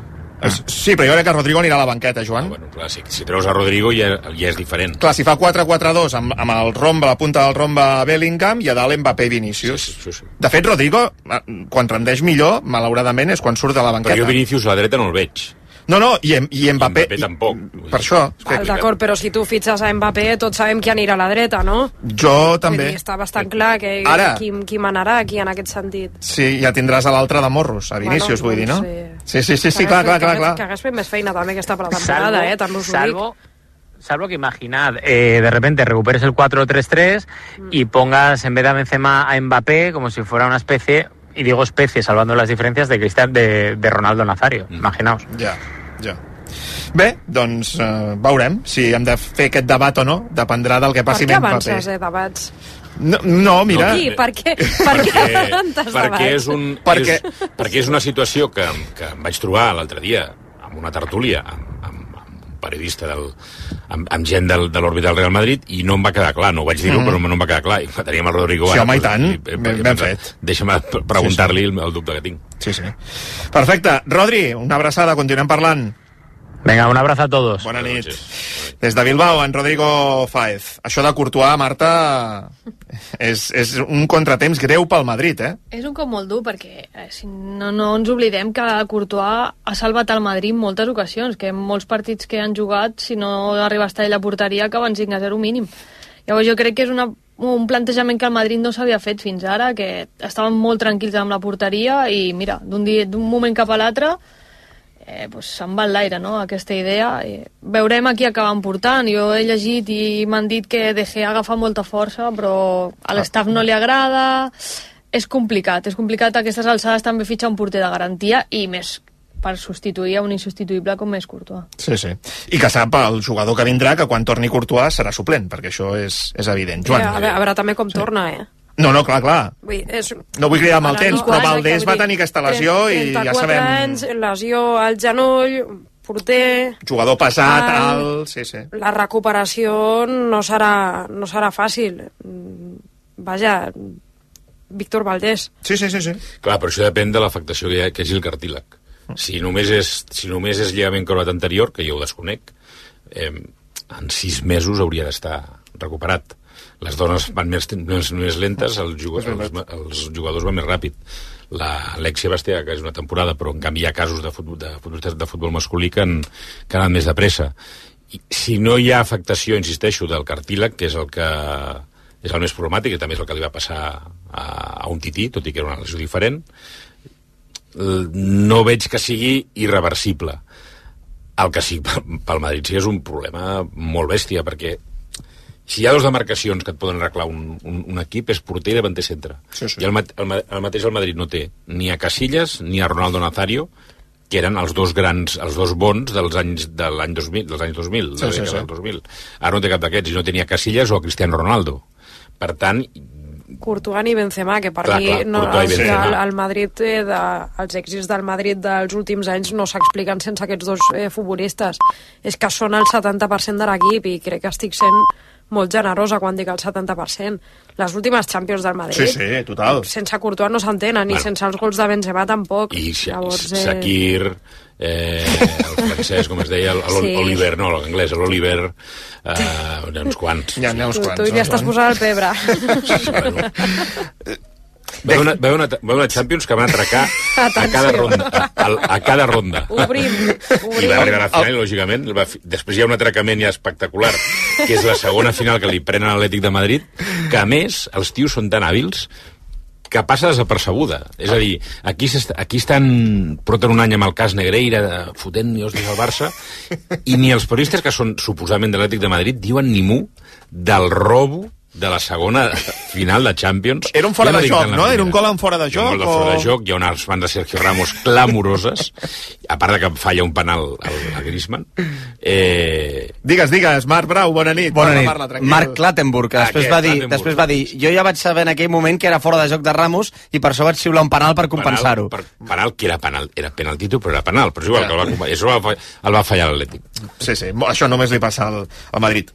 S2: Sí, però jo crec que Rodrigo anirà a la banqueta, Joan.
S14: Bueno, clar, si treus a Rodrigo ja és diferent.
S2: Clar, si fa 4-4-2 amb el rombe, la punta del rombe Bellingham, i a dalt Mbappé i Vinícius.
S14: Sí.
S2: De fet, Rodrigo, quan rendeix millor, malauradament, és quan surt de la banqueta.
S14: Però jo Vinícius a la dreta no el veig.
S2: No, i Mbappé...
S14: Mbappé tampoc.
S2: Per això.
S11: D'acord, però si tu fitxes a Mbappé, tots sabem qui anirà a la dreta, no?
S2: Jo també.
S11: Està bastant clar que qui manarà aquí en aquest sentit.
S2: Sí, ja tindràs a l'altre de morros, a Vinícius, vull dir, no? Sí, clar.
S11: Que hagués fet més feina també aquesta per la temporada, tant-los ho dic.
S13: Salvo que imaginad, de repente recuperes el 4-3-3 y pongas en vez de Benzema a Mbappé como si fuera una especie, y digo especie salvando las diferencias, de Ronaldo Nazario, imaginaos.
S2: Ja. Bé, doncs veurem si hem de fer aquest debat o no, dependrà del que passi amb Mbappé.
S11: Per què avances, debats?
S2: No, mira...
S11: Per què avances debats?
S14: Perquè és una situació que em vaig trobar l'altre dia amb una tertúlia amb un periodista amb gent de l'òrbita del Real Madrid, i no em va quedar clar, no ho vaig dir-ho, però no em va quedar clar, i teníem el Rodrigo.
S2: Sí, home, i tant, ben fet.
S14: Deixa'm preguntar-li el dubte que tinc.
S2: Sí. Perfecte. Rodri, una abraçada, continuem parlant.
S13: Venga, un abrazo a todos.
S2: Bona nit. Des de Bilbao, en Rodrigo Fáez. Això de Courtois, Marta, és un contratemps greu pel Madrid, eh?
S12: És un cop molt dur, perquè si no ens oblidem que Courtois ha salvat el Madrid en moltes ocasions, que en molts partits que han jugat, si no arriba a estar ell a porteria, acaben 5-0 mínim. Llavors jo crec que és un plantejament que el Madrid no s'havia fet fins ara, que estaven molt tranquils amb la porteria, i mira, d'un moment cap a l'altre se'n va l'aire, no?, aquesta idea. Veurem a qui acaben portant. Jo he llegit i m'han dit que De Gea agafa molta força, però a l'estaf no li agrada. És complicat a aquestes alçades també fitxar un porter de garantia, i més per substituir a un insubstituïble com és Courtois.
S2: Sí. I que sap el jugador que vindrà que quan torni Courtois serà suplent, perquè això és evident. Joan.
S11: A veure també com torna,
S2: No, clar. No vull cridar amb el temps, però Valdés va tenir aquesta lesió i ja sabem...
S11: 34 anys, lesió al genoll, porter...
S2: Jugador pesat, alt... Sí.
S11: La recuperació no serà fàcil. Vaja, Víctor Valdés.
S2: Sí.
S14: Clar, però això depèn de l'afectació que hagi el cartílag. Si només és lligament corbat anterior, que jo ho desconec, en 6 mesos hauria d'estar recuperat. Les dones van més lentes, els jugadors van més ràpid. L'Alexia Bastea, que és una temporada, però en canvi hi ha casos de futbol masculí que han anat més de pressa. I si no hi ha afectació, insisteixo, del cartílag, que és el que és el més problemàtic, i també és el que li va passar a un tití, tot i que era una lesió diferent, no veig que sigui irreversible. El que sí, pel Madrid sí és un problema molt bèstia, perquè si hi ha dos demarcacions que et poden arreglar un equip, és porter i davanter centre. Sí. I el mateix el Madrid no té ni a Casillas ni a Ronaldo Nazario, que eren els dos bons dels anys 2000. Ara no té cap d'aquests, i no tenia Casillas o a Cristiano Ronaldo. Per tant,
S11: Courtois ni Benzema, que per mi el Madrid, els èxits del Madrid dels últims anys no s'expliquen sense aquests dos futbolistes. És que són el 70% de l'equip, i crec que estic sent molt generosa quan dic el 70%. Les últimes Champions del Madrid,
S2: sí, total.
S11: Sense Courtois no s'entenen, i sense els gols de Benzema tampoc.
S14: I Shakir, el francès, com es deia, l'Oliver, no, l'anglès, l'Oliver, uns quants.
S2: Hi ha uns quants.
S11: Tu ja estàs posant el pebre.
S14: Va haver una Champions que van atracar a cada ronda.
S11: Obrim.
S14: I va arribar a la final, lògicament. Després hi ha un atracament ja espectacular, que és la segona final que li prenen a l'Atlètic de Madrid, que a més els tios són tan hàbils que passa desapercebuda. És a dir, aquí porten un any amb el cas Negreira, fotent nios des del Barça, i ni els periodistes, que són suposadament de l'Atlètic de Madrid, diuen ni mu del robo de la segona final de Champions.
S2: Era un fora de joc, no? Era un gol en fora de joc?
S14: Un gol de fora de joc, hi ha unes fans de Sergio Ramos clamoroses, a part de que falla un penal a Griezmann.
S2: Digues, Marc Brau, bona nit.
S15: Bona nit. Marc Clattenburg, que després va dir, jo ja vaig saber en aquell moment que era fora de joc de Ramos, i per això vaig xiular un penal per compensar-ho.
S14: Penal, que era penal, era penaltito, però era penal, però és igual, que el va fallar l'Atlètic.
S2: Sí, això només li passa al Madrid.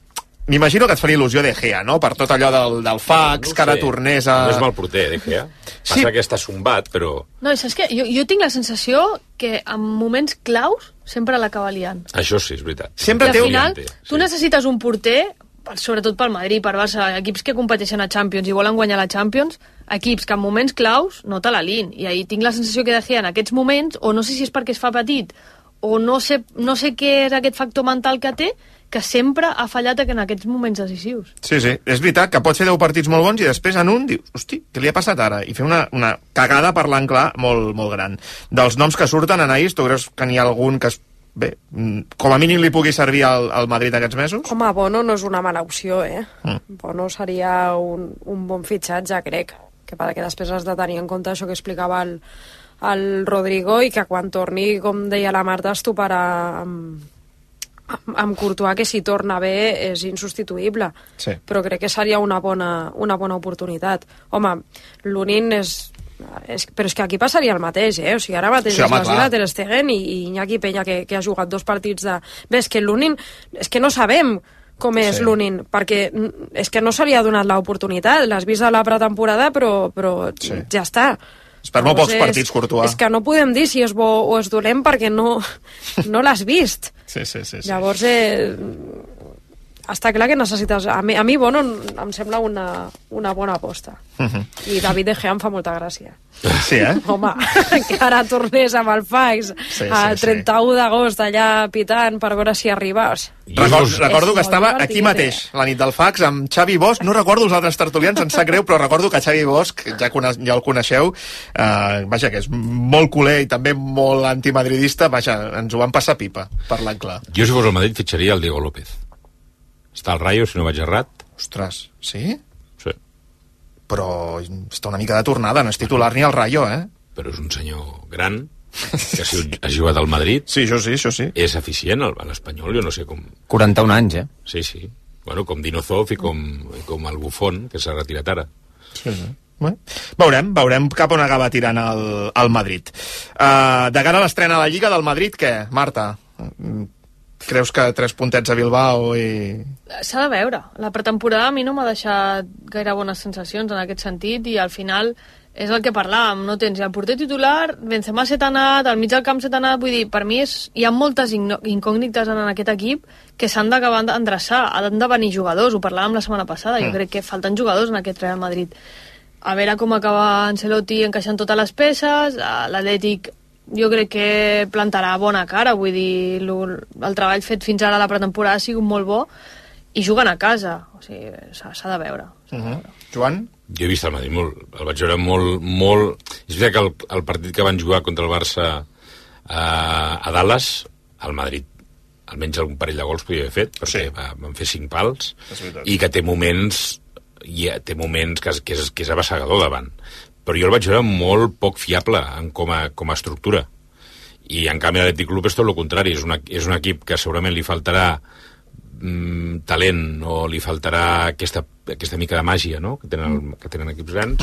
S2: M'imagino que et faria il·lusió De Gea, no? Per tot allò del fax, que ara tornés a...
S14: No és mal porter, De Gea. Passa que està sombat, però...
S12: No, saps què? Jo tinc la sensació que en moments claus sempre l'acaba liant.
S14: Això sí, és veritat.
S2: Sempre
S12: al final, tu necessites un porter, sobretot pel Madrid, per Barça, equips que competeixen a Champions i volen guanyar la Champions, equips que en moments claus no te la lin. I ahir tinc la sensació que De Gea en aquests moments, o no sé si és perquè es fa petit, o no sé què és aquest factor mental que té, que sempre ha fallat en aquests moments decisius.
S2: Sí, és veritat que pot fer 10 partits molt bons i després en un dius, hosti, què li ha passat ara? I fer una cagada, parlant clar, molt, molt gran. Dels noms que surten, Anaïs, tu creus que n'hi ha algun que com a mínim li pugui servir al Madrid aquests mesos?
S11: Home, Bono no és una mala opció, Bono seria un bon fitxatge, crec, perquè després has de tenir en compte això que explicava el Rodrigo, i que quan torni, com deia la Marta, es toparà amb Courtois, que si torna bé és insubstituïble, però crec que seria una bona oportunitat. Home, l'Unin però és que aquí passaria el mateix, O sigui, ara mateix és la Ter Stegen i Iñaki Peña, que ha jugat 2 partits de... Bé, és que l'Unin, és que no sabem com és l'Unin, perquè és que no se li ha donat l'oportunitat, l'has vist a la pretemporada, però ja està.
S2: És per molt pocs partits, Courtois.
S11: És que no podem dir si és bo o és dolent perquè no l'has vist.
S2: Sí.
S11: Llavors, està clar que necessites... A mi Bono em sembla una bona aposta. I David De Gea em fa molta gràcia.
S2: Sí,
S11: Home, que ara tornés amb el fax el 31 d'agost allà pitant per veure si arribes.
S2: Recordo que estava aquí mateix, la nit del fax, amb Xavi Bosch. No recordo els altres tertulians, em sap greu, però recordo que Xavi Bosch, ja el coneixeu, vaja, que és molt culer i també molt antimadridista, vaja, ens ho van passar pipa, parlant clar.
S14: Jo, si fos el Madrid, fitxaria el Diego López. Està al Rayo, si no vaig errat.
S2: Ostres, sí?
S14: Sí.
S2: Però està una mica de tornada, no és titular ni al Rayo,
S14: Però és un senyor gran, que ha jugat al Madrid.
S2: Sí, això sí.
S14: És eficient, a l'Espanyol, jo no sé com...
S15: 41 anys,
S14: Sí. Bueno, com Dinozov i com el Buffon, que s'ha retirat ara.
S2: Sí. Bueno, veurem cap on acaba tirant el Madrid. De cara a l'estrena a la Lliga del Madrid, què, Marta? Creus que 3 puntets a Bilbao i...
S12: S'ha de veure. La pretemporada a mi no m'ha deixat gaire bones sensacions en aquest sentit, i al final és el que parlàvem, no tens el porter titular, Benzema se t'ha anat, al mig del camp se t'ha anat, vull dir, per mi hi ha moltes incògnites en aquest equip que s'han d'acabar d'endreçar, han de venir jugadors, ho parlàvem la setmana passada, jo crec que falten jugadors en aquest Real Madrid. A veure com acaba Ancelotti encaixant totes les peces, l'Atlètic jo crec que plantarà bona cara, vull dir, el treball fet fins ara a la pretemporada ha sigut molt bo, i juguen a casa, o sigui, s'ha de veure.
S2: Joan?
S14: Jo he vist el Madrid molt, el vaig veure molt... És veritat que el partit que van jugar contra el Barça a Dallas, el Madrid, almenys algun parell de gols podia haver fet, perquè van fer 5 pals, i que té moments que és abassegador davant. Però jo el vaig veure molt poc fiable com a estructura. I en canvi l'Atlètic Club és tot el contrari, és un equip que segurament li faltarà talent o li faltarà aquesta mica de màgia, no?, que tenen equips grans.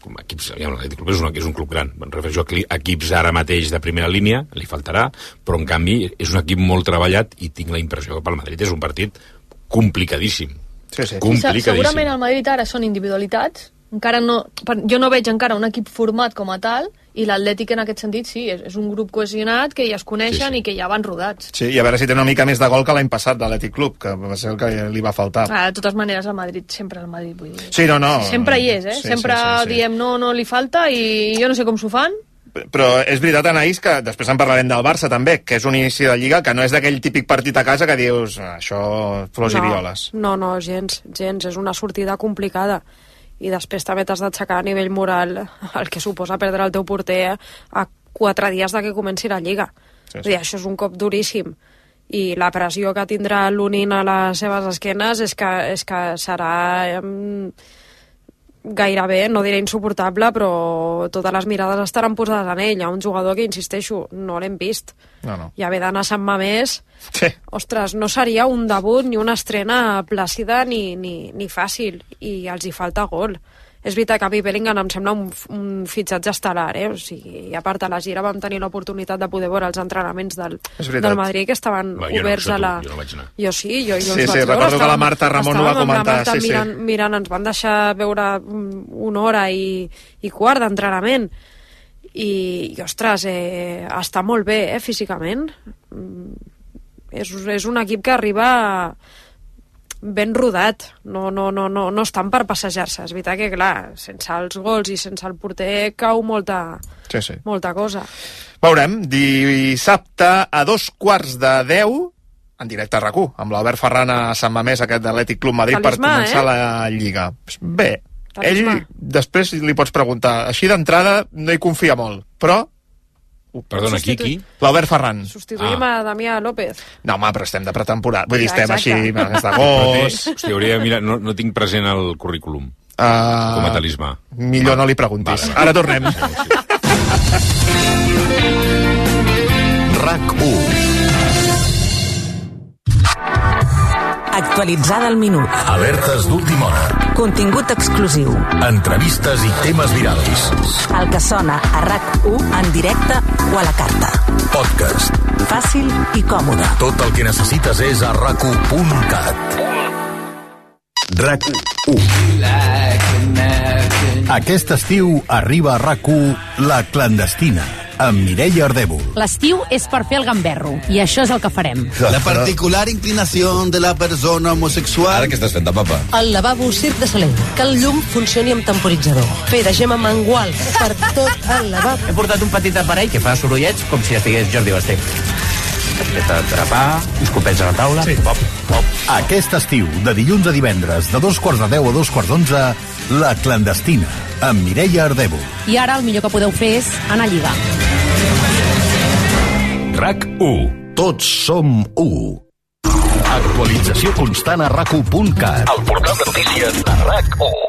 S14: Com equips, l'Atlètic Club és un club gran, em refereixo a equips ara mateix de primera línia, li faltarà, però en canvi és un equip molt treballat i tinc la impressió que pel Madrid és un partit complicadíssim. Complicadíssim.
S12: Segurament al Madrid ara són individualitats, jo no veig encara un equip format com a tal, i l'Atlètic en aquest sentit sí, és un grup cohesionat que ja es coneixen i que ja van rodats.
S2: Sí, i a veure si té una mica més de gol que l'any passat de l'Atlètic Club, que va ser el que li va faltar.
S12: De totes maneres, el Madrid, vull dir.
S2: Sí, no.
S12: Sempre hi és, sempre diem no li falta i jo no sé com s'ho fan.
S2: Però és veritat, Anaïs, que després en parlarem del Barça també, que és un inici de Lliga que no és d'aquell típic partit a casa que dius això, flors i violes.
S11: No, gens, és una sortida complicada. I després també t'has d'aixecar a nivell moral el que suposa perdre el teu porter a 4 dies de que comenci la Lliga. Sí. Això és un cop duríssim. I la pressió que tindrà l'Unin a les seves esquenes és que serà gairebé, no diré insuportable, però totes les mirades estaran posades en ell. Hi ha un jugador que, insisteixo, no l'hem vist.
S2: No.
S11: I haver d'anar a Sant Mamés, ostres, no seria un debut ni una estrena plàcida ni fàcil, i els hi falta gol. És veritat que a mi Bellingham em sembla un fitxatge estel·lar, o sigui, a part de la gira vam tenir l'oportunitat de poder veure els entrenaments del Madrid que estaven oberts a la...
S14: Jo no vaig anar.
S11: Jo sí, jo els
S2: vaig veure. Recordo que la Marta Ramon ho va comentar.
S11: Mirant, ens van deixar veure 1 hora i quart d'entrenament. I ostres, està molt bé, físicament. És un equip que arriba ben rodat, no estan per passejar-se. És veritat que, clar, sense els gols i sense el porter cau molta cosa.
S2: Veurem, dissabte a 9:15 en directe a RAC1, amb l'Albert Ferran a Sant Mamés, aquest d'Atlètic Club Madrid, per començar la Lliga. Bé, ell després li pots preguntar, així d'entrada no hi confia molt, però...
S14: Perdona, qui?
S2: L'Albert Ferran.
S11: Substituïm a Damià López.
S2: No, home, però estem de pretemporada. Vull dir, estem així, mes d'agost...
S14: Hòstia, hauria de mirar... No tinc present el currículum com a talismà.
S2: Millor no li preguntis. Ara tornem.
S1: RAC1.
S8: Actualitzada al minut.
S1: Alertes d'última hora.
S8: Contingut exclusiu.
S1: Entrevistes i temes virals.
S8: El que sona a RAC1 en directe o a la carta.
S1: Podcast.
S8: Fàcil i còmode.
S1: Tot el que necessites és a RAC1.cat. RAC1. Aquest estiu arriba a RAC1 La Clandestina, amb Mireia Ardèvol.
S16: L'estiu és per fer el gamberro, i això és el que farem.
S17: La particular inclinació de la persona homosexual...
S18: Ara què estàs fent, papa?
S16: El lavabo Circ de Soleil, que el llum funcioni amb temporitzador. Fer de Gemma Mangual per tot el lavabo.
S19: He portat un petit aparell que fa sorollets com si estigués Jordi Basté. Després d'atrapar, escopets a la taula, pop, pop.
S1: Aquest estiu, de dilluns a divendres, de 9:10 a 11:11, La Clandestina, amb Mireia Ardèvol.
S16: I ara el millor que podeu fer és anar a lligar.
S1: RAC1. Tots som 1. Actualització constant a RAC1.cat. El portal de notícies de RAC1.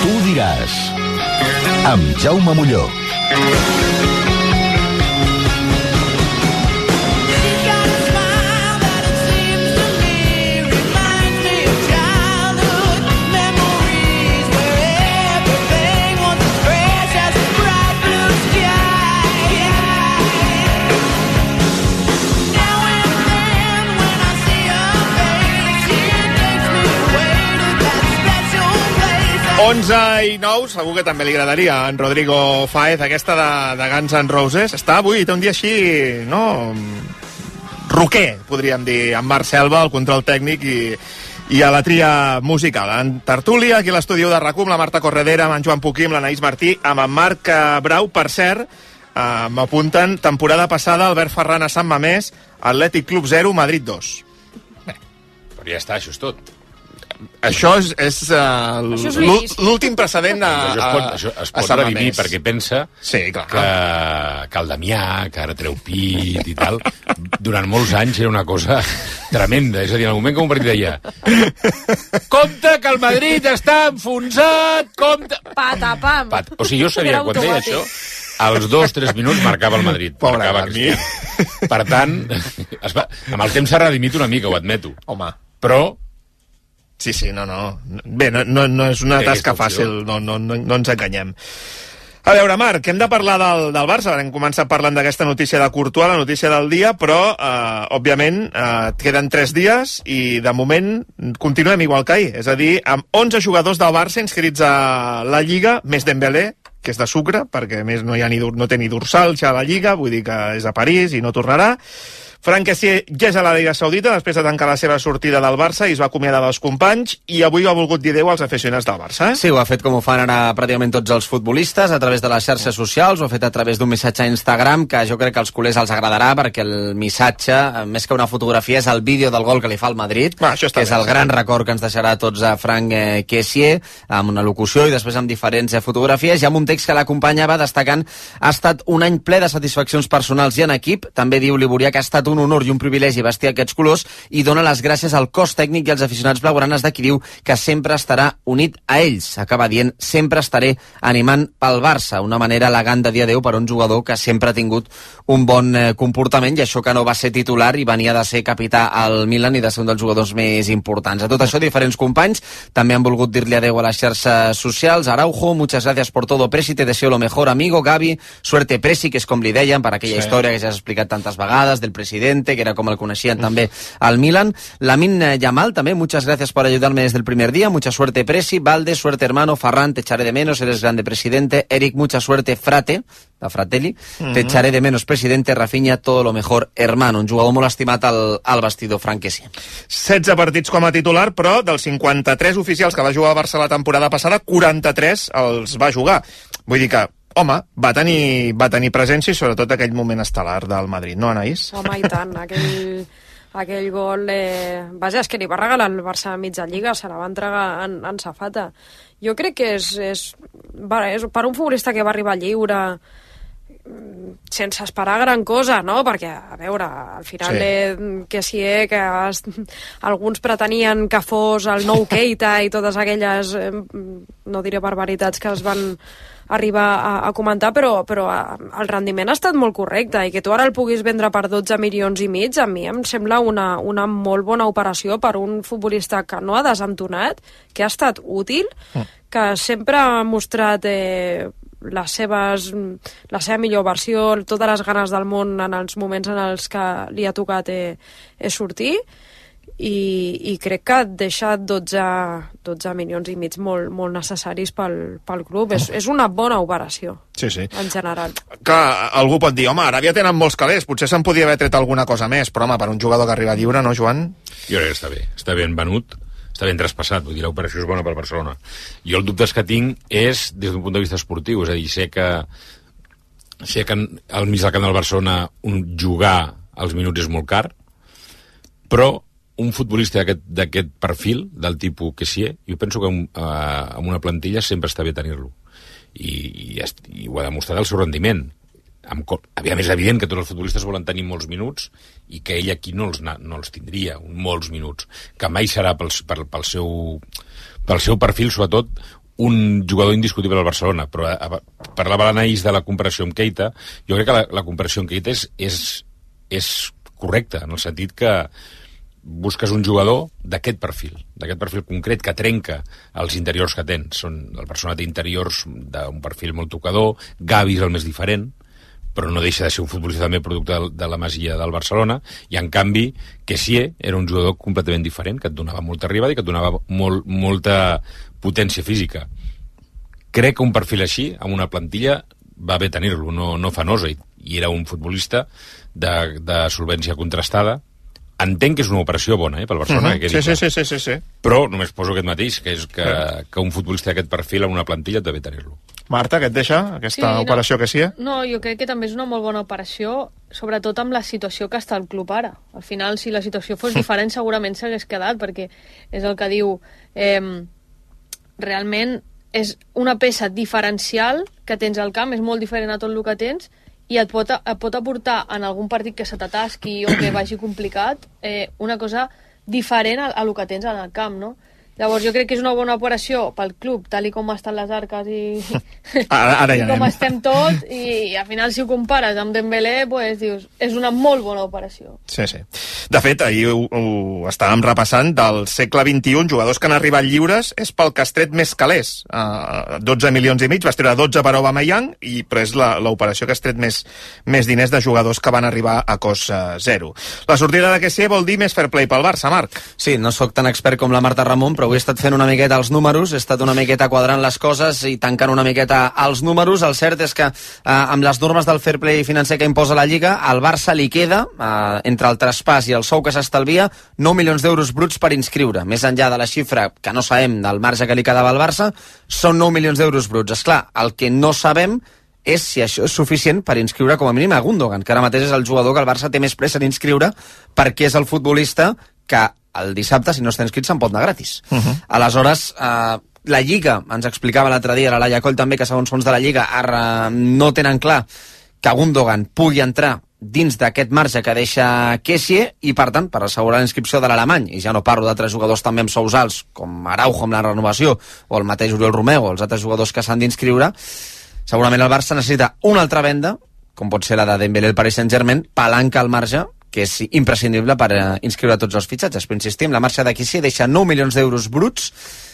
S1: Tu diràs, amb Jaume Molló.
S2: 11:09, segur que també li agradaria a en Rodrigo Fáez aquesta de Guns N' Roses. Està avui, té un dia així, no? Roquer, podríem dir, amb Marc Selva, el control tècnic i a la tria musical. En tertúlia, aquí a l'estudi de RAC1, amb la Marta Corredera, amb en Joan Puquí, amb l'Anaïs Martí, amb en Marc Brau. Per cert, m'apunten, temporada passada, Albert Ferran a Sant Mamés, Atlètic Club 0, Madrid 2.
S14: Bé, però ja està, això és tot.
S2: Això és l'últim precedent
S14: això es pot redimir, perquè pensa que el Damià, que ara treu pit i tal, durant molts anys era una cosa tremenda. És a dir, en el moment que un partit deia compte que el Madrid està enfonsat, compte...
S11: Patapam.
S14: O sigui, jo sabia, quan deia això, als 2-3 minuts marcava el Madrid. Marcava per tant, amb el temps s'ha redimit una mica, ho admeto.
S2: Home.
S14: Però
S2: sí, no. Bé, no és una tasca fàcil, no ens enganyem. A veure, Marc, hem de parlar del Barça. Hem començat parlant d'aquesta notícia de Courtois, la notícia del dia, però, òbviament, queden 3 dies i, de moment, continuem igual que ahir. És a dir, amb 11 jugadors del Barça inscrits a la Lliga, més Dembélé, que és de sucre, perquè, a més, no té ni dorsal ja a la Lliga, vull dir que és a París i no tornarà. Franck Kessié ja és a l'Aràbia Saudita després de tancar la seva sortida del Barça i es va acomiadar dels companys i avui ho ha volgut dir adéu als aficionats del Barça.
S15: Sí, ho ha fet com ho fan ara pràcticament tots els futbolistes, a través de les xarxes socials, ho ha fet a través d'un missatge a Instagram que jo crec que als culers els agradarà perquè el missatge, més que una fotografia, és el vídeo del gol que li fa al Madrid, que és el gran record que ens deixarà a tots a Franck Kessié, amb una locució i després amb diferents fotografies i amb un text que l'acompanyava destacant ha estat un any ple de satisfaccions personals i en equip. També diu Liborià que ha estat un honor i un privilegi vestir aquests colors i dona les gràcies al cos tècnic i als aficionats blaugranes de qui diu que sempre estarà unit a ells. Acaba dient, sempre estaré animant pel Barça, una manera elegant de dir adéu per un jugador que sempre ha tingut un bon comportament i això que no va ser titular i venia de ser capità al Milan i de ser un dels jugadors més importants. A tot això, diferents companys també han volgut dir-li adéu a les xarxes socials. Araujo, muchas gracias por todo, Presi, te deseo lo mejor, amigo. Gavi, suerte, Presi, que és com li deien per aquella història que ja has explicat tantes vegades del president, que era com el coneixien també al Milan. Lamine Yamal també, muchas gracias por ayudarme desde el primer día, mucha suerte Presi, Valde, suerte hermano, Ferran, te echaré de menos, eres grande presidente, Eric, mucha suerte Frate, la Fratelli, te echaré de menos presidente, Rafinha, todo lo mejor hermano, un jugador molt estimat al vestidor Franck Kessié.
S2: 16 partits com a titular, però dels 53 oficials que va jugar a Barça la temporada passada, 43 els va jugar. Vull dir que home, va tenir presència i sobretot aquell moment estel·lar del Madrid, no, Anaïs?
S11: Home, i tant, aquell gol... Vaja, és que li va regalar el Barça a mitja lliga, se la va entregar en safata. Jo crec que és per un futbolista que va arribar lliure sense esperar gran cosa, no? Perquè, a veure, al final que alguns pretenien que fos el nou Keita i totes aquelles, no diré barbaritats que es van arribar a comentar, però el rendiment ha estat molt correcte i que tu ara el puguis vendre per 12 milions i mig, a mi em sembla una molt bona operació per un futbolista que no ha desentonat, que ha estat útil, que sempre ha mostrat la seva millor versió, totes les ganes del món en els moments en els que li ha tocat sortir, i crec que ha deixat 12 milions i mig molt necessaris pel club. És una bona operació, en general.
S2: Que algú pot dir, home, ara ja tenen molts calés, potser se'n podia haver tret alguna cosa més, però home, per un jugador que arriba lliure, no, Joan?
S14: Jo crec que està ben venut, està ben traspassat, vull dir, l'operació és bona per Barcelona. Jo el dubte que tinc és des d'un punt de vista esportiu, és a dir, sé que al mig del camp del Barcelona jugar als minuts és molt car, però un futbolista d'aquest perfil, del tipus Kessié, jo penso que amb una plantilla sempre està bé tenir-lo. I ho ha demostrat el seu rendiment. És evident que tots els futbolistes volen tenir molts minuts i que ell aquí no els tindria, molts minuts. Que mai serà pel seu perfil, sobretot, un jugador indiscutible al Barcelona. Però parlava l'Anaïs de la comparació amb Keita. Jo crec que la comparació amb Keita és correcta, en el sentit que busques un jugador d'aquest perfil concret, que trenca els interiors que tens. El Barcelona té interiors d'un perfil molt tocador, Gavi és el més diferent, però no deixa de ser un futbolista també producte de la masia del Barcelona, i en canvi Kessié era un jugador completament diferent, que et donava molta arribada i que et donava molta potència física. crec que un perfil així, amb una plantilla, va bé tenir-lo, no fanosa, i era un futbolista de solvència contrastada. Entenc que és una operació bona, pel Barcelona.
S2: Sí.
S14: Però només poso aquest mateix, que és que un futbolista d'aquest perfil en una plantilla deve tenir-lo.
S2: Marta, què et deixa aquesta operació que sí?
S12: No, jo crec que també és una molt bona operació, sobretot amb la situació que està el club ara. Al final, si la situació fos diferent, segurament s'hagués quedat, perquè és el que diu... realment és una peça diferencial que tens al camp, és molt diferent a tot el que tens, i et pot aportar en algun partit que se t'atasqui o que vagi complicat una cosa diferent a el que tens en el camp, no? Llavors jo crec que és una bona operació pel club, tal i com estan les arques i com estem tots, i al final si ho compares amb Dembélé, pues, dius, és una molt bona operació.
S2: Sí. De fet, ahir ho estàvem repassant, del segle XXI, jugadors que han arribat lliures és pel que has tret més calés. 12 milions i mig, vas treure 12 per Aubameyang, però és l'operació que has tret més diners de jugadors que van arribar a cost zero. La sortida de Kessié vol dir més fair play pel Barça, Marc.
S15: Sí, no sóc tan expert com la Marta Ramon, però avui he estat fent una miqueta els números, he estat una miqueta quadrant les coses i tancant una miqueta els números. El cert és que amb les normes del fair play financer que imposa la Lliga, al Barça li queda, entre el traspàs i el sou que s'estalvia, 9 milions d'euros bruts per inscriure. Més enllà de la xifra que no sabem del marge que li quedava al Barça, són 9 milions d'euros bruts. Esclar, el que no sabem és si això és suficient per inscriure com a mínim a Gundogan, que ara mateix és el jugador que el Barça té més pressa d'inscriure perquè és el futbolista que el dissabte, si no està inscrit, se'n pot anar gratis. Aleshores, la Lliga, ens explicava l'altre dia la Laia Coll també, que segons fons de la Lliga ara no tenen clar que Gundogan pugui entrar dins d'aquest marge que deixa Kessié i, per tant, per assegurar la inscripció de l'alemany, i ja no parlo d'altres jugadors també amb sous alts, com Araujo amb la renovació, o el mateix Oriol Romeu, o els altres jugadors que s'han d'inscriure, segurament el Barça necessita una altra venda, com pot ser la de Dembélé al Paris Saint-Germain, palanca al marge, que és imprescindible per inscriure tots els fitxatges. Però insistim, la marxa d'aquí sí deixa 9 milions d'euros bruts.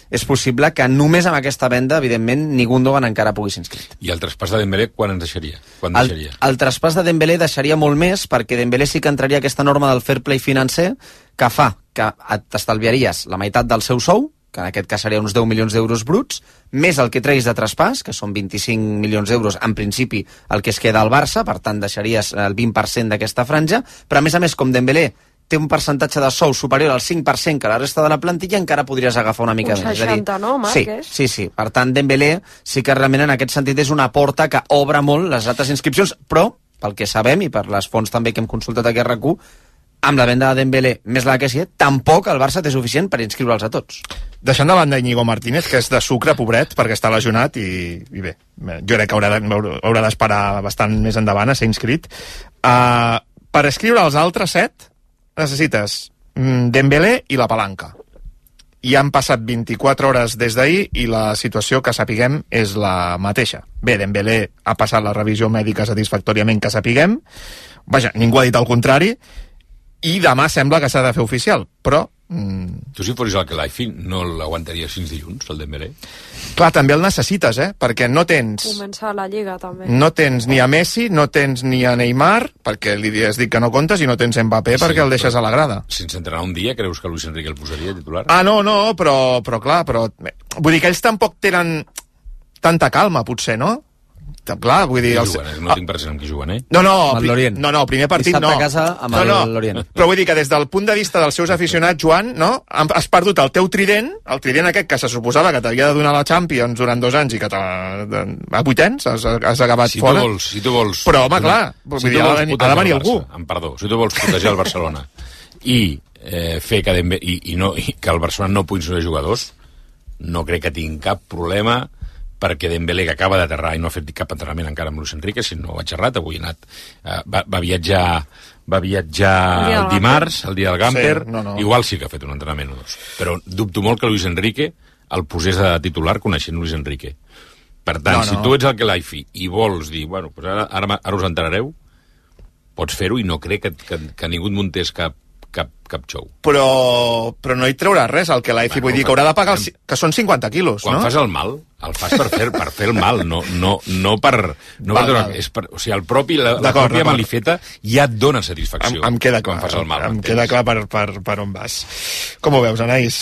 S15: És possible que només amb aquesta venda, evidentment, ni Gundogan encara pugui ser inscrit.
S14: I el traspàs de Dembélé quan ens deixaria? Quan deixaria?
S15: El traspàs de Dembélé deixaria molt més, perquè Dembélé sí que entraria aquesta norma del fair play financer que fa que t'estalviaries la meitat del seu sou, que en aquest cas seria uns 10 milions d'euros bruts, més el que treguis de traspàs, que són 25 milions d'euros, en principi, el que es queda al Barça, per tant, deixaries el 20% d'aquesta franja, però a més, com Dembélé té un percentatge de sou superior al 5% que la resta de la plantilla, encara podries agafar una mica més.
S11: Un 60, no, Marc?
S15: Sí. Per tant, Dembélé sí que realment en aquest sentit és una porta que obre molt les altres inscripcions, però, pel que sabem, i per les fonts també que hem consultat aquí a RAC1, amb la venda de Dembélé més la que sí, tampoc el Barça té suficient per inscriure'ls a tots.
S2: Deixant de banda Íñigo Martínez, que és de sucre, pobret, perquè està lesionat, i bé, jo crec que haurà d'esperar bastant més endavant a ser inscrit. Per escriure els altres 7 necessites Dembélé i la palanca. I han passat 24 hores des d'ahir i la situació que sapiguem és la mateixa. Bé, Dembélé ha passat la revisió mèdica satisfactòriament que sapiguem, vaja, ningú ha dit el contrari, i demà sembla que s'ha de fer oficial, però...
S14: Tu si fossis el Kelaifi no l'aguantaries fins dilluns, el Dembélé?
S2: Clar, també el necessites, perquè no tens...
S11: Començar la Lliga, també.
S2: No tens ni a Messi, no tens ni a Neymar, perquè li has dit que no comptes, i no tens Mbappé perquè el deixes a la grada.
S14: Sense entrenar un dia, creus que Luis Enrique el posaria titular?
S2: No, però clar, vull dir que ells tampoc tenen tanta calma, potser, no? Clar, vull dir...
S14: No tinc present amb qui juguen,
S2: No, primer partit no.
S15: Dissabte a casa amb l'Orient.
S2: Però vull dir que des del punt de vista dels seus aficionats, Joan, no? Has perdut el teu trident, el trident aquest que se suposava que t'havia de donar la Champions durant 2 anys i que a 8 anys has acabat fora.
S14: Si tu vols...
S2: Però, home, clar, ha de venir algú.
S14: Perdó, si tu vols protegir el Barcelona i fer que el Barcelona no pugui ser jugadors, no crec que tinguin cap problema perquè Dembélé, que acaba d'aterrar i no ha fet cap entrenament encara amb Luis Enrique, si no ho ha xerrat, avui ha anat, va viatjar el dimarts, el dia del Gamper, igual sí que ha fet un entrenament o 2, però dubto molt que Luis Enrique el posés a titular coneixent Luis Enrique. Per tant, si tu ets el Kelaifi i vols dir, bueno, pues ara us enterareu, pots fer-ho i no crec que ningú et muntés cap xou.
S2: Però no hi traurà res al Kelaifi, vull dir que haurà de pagar que són 50 quilos, no?
S14: Quan fas el mal, el fas per fer el mal, no per... O sigui, la pròpia malifeta ja et dona satisfacció.
S2: Em queda clar,
S14: quan fas el mal.
S2: Em queda clar per on vas. Com ho veus, Anaïs?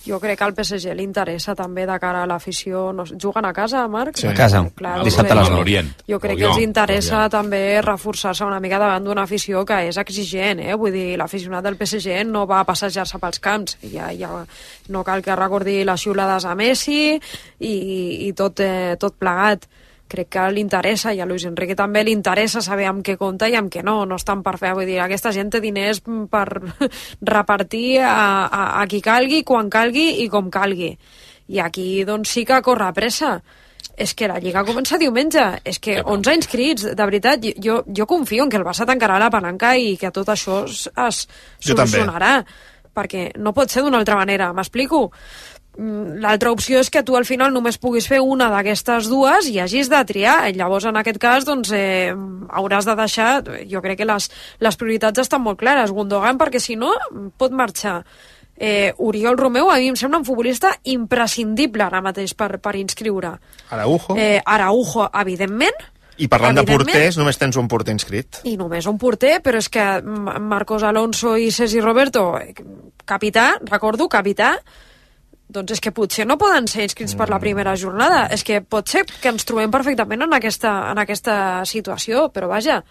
S11: Jo crec que al PSG li interessa també de cara a l'afició. No, juguen a casa, Marc?
S15: Sí. A casa, dissabte a les 9.
S11: Jo crec que els interessa també reforçar-se una mica davant d'una afició que és exigent, Vull dir, l'aficionat del PSG no va a passejar-se pels camps. Ja no cal que recordi les xiulades a Messi i tot plegat. Crec que li interessa, i a Luis Enrique també li interessa saber amb què compta i amb què no estan per fer. Vull dir, aquesta gent té diners per repartir a qui calgui, quan calgui i com calgui. I aquí, doncs, sí que corre pressa. És que la Lliga comença diumenge. És que 11 inscrits, de veritat. Jo confio en que el Barça tancarà la palanca i que tot això es solucionarà. Perquè no pot ser d'una altra manera, m'explico? L'altra opció és que tu al final només puguis fer una d'aquestes dues i hagis de triar. Llavors, en aquest cas, doncs, hauràs de deixar... Jo crec que les prioritats estan molt clares. Gundogan, perquè si no, pot marxar. Oriol Romeu, a mi em sembla un futbolista imprescindible ara mateix per inscriure. Araujo, evidentment.
S2: I parlant de porters, només tens un porter inscrit.
S11: I només un porter, però és que Marcos Alonso i Sergi Roberto, capità, recordo, capità, doncs és que potser no poden ser inscrits per la primera jornada. És que pot ser que ens trobem perfectament en aquesta situació, però vaja,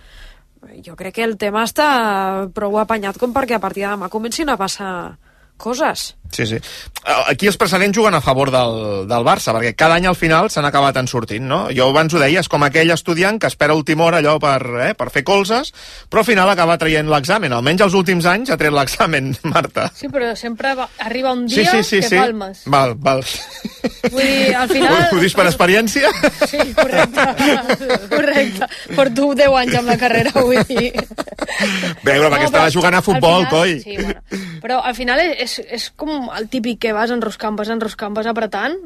S11: jo crec que el tema està prou apanyat com perquè a partir de demà comencin a passar coses.
S2: Sí. Aquí els precedents juguen a favor del Barça, perquè cada any al final s'han acabat en sortint, no? Jo abans ho deia, és com aquell estudiant que espera última hora allò per fer colzes, però al final acaba traient l'examen. Almenys els últims anys ha tret l'examen, Marta.
S12: Sí, però sempre arriba un dia que palmes.
S2: Val.
S12: Vull dir, al final...
S2: Ho dius per experiència?
S12: Sí, correcte. Porto 10 anys amb la carrera, vull dir...
S2: Bé, però perquè estava jugant a futbol, coi.
S12: Sí, bueno. Però al final és com el típic que vas enroscant apretant,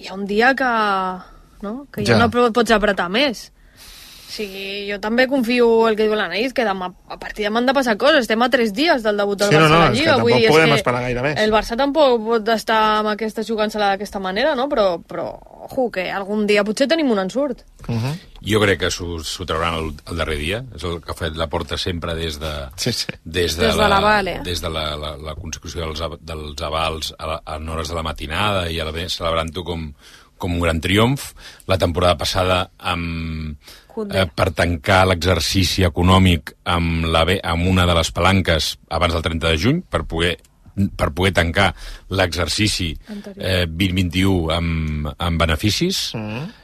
S12: hi ha un dia que ja no pots apretar més. O sigui, jo també confio el que diu l'Anaïs, que demà, a partir de demà han de passar coses. Estem a 3 dies del debut del Barça a la Lliga.
S2: Vull dir, podem esperar gaire més.
S12: El Barça tampoc pot estar amb aquesta jugant-se-la d'aquesta manera, no? Però que algun dia potser tenim un ensurt.
S14: Jo crec que s'ho trauran el darrer dia. És el que ha fet la porta sempre des de la consecució dels avals en hores de la matinada i celebrant-ho com un gran triomf. La temporada passada per tancar l'exercici econòmic amb una de les palanques abans del 30 de juny per poder tancar l'exercici 2021 amb beneficis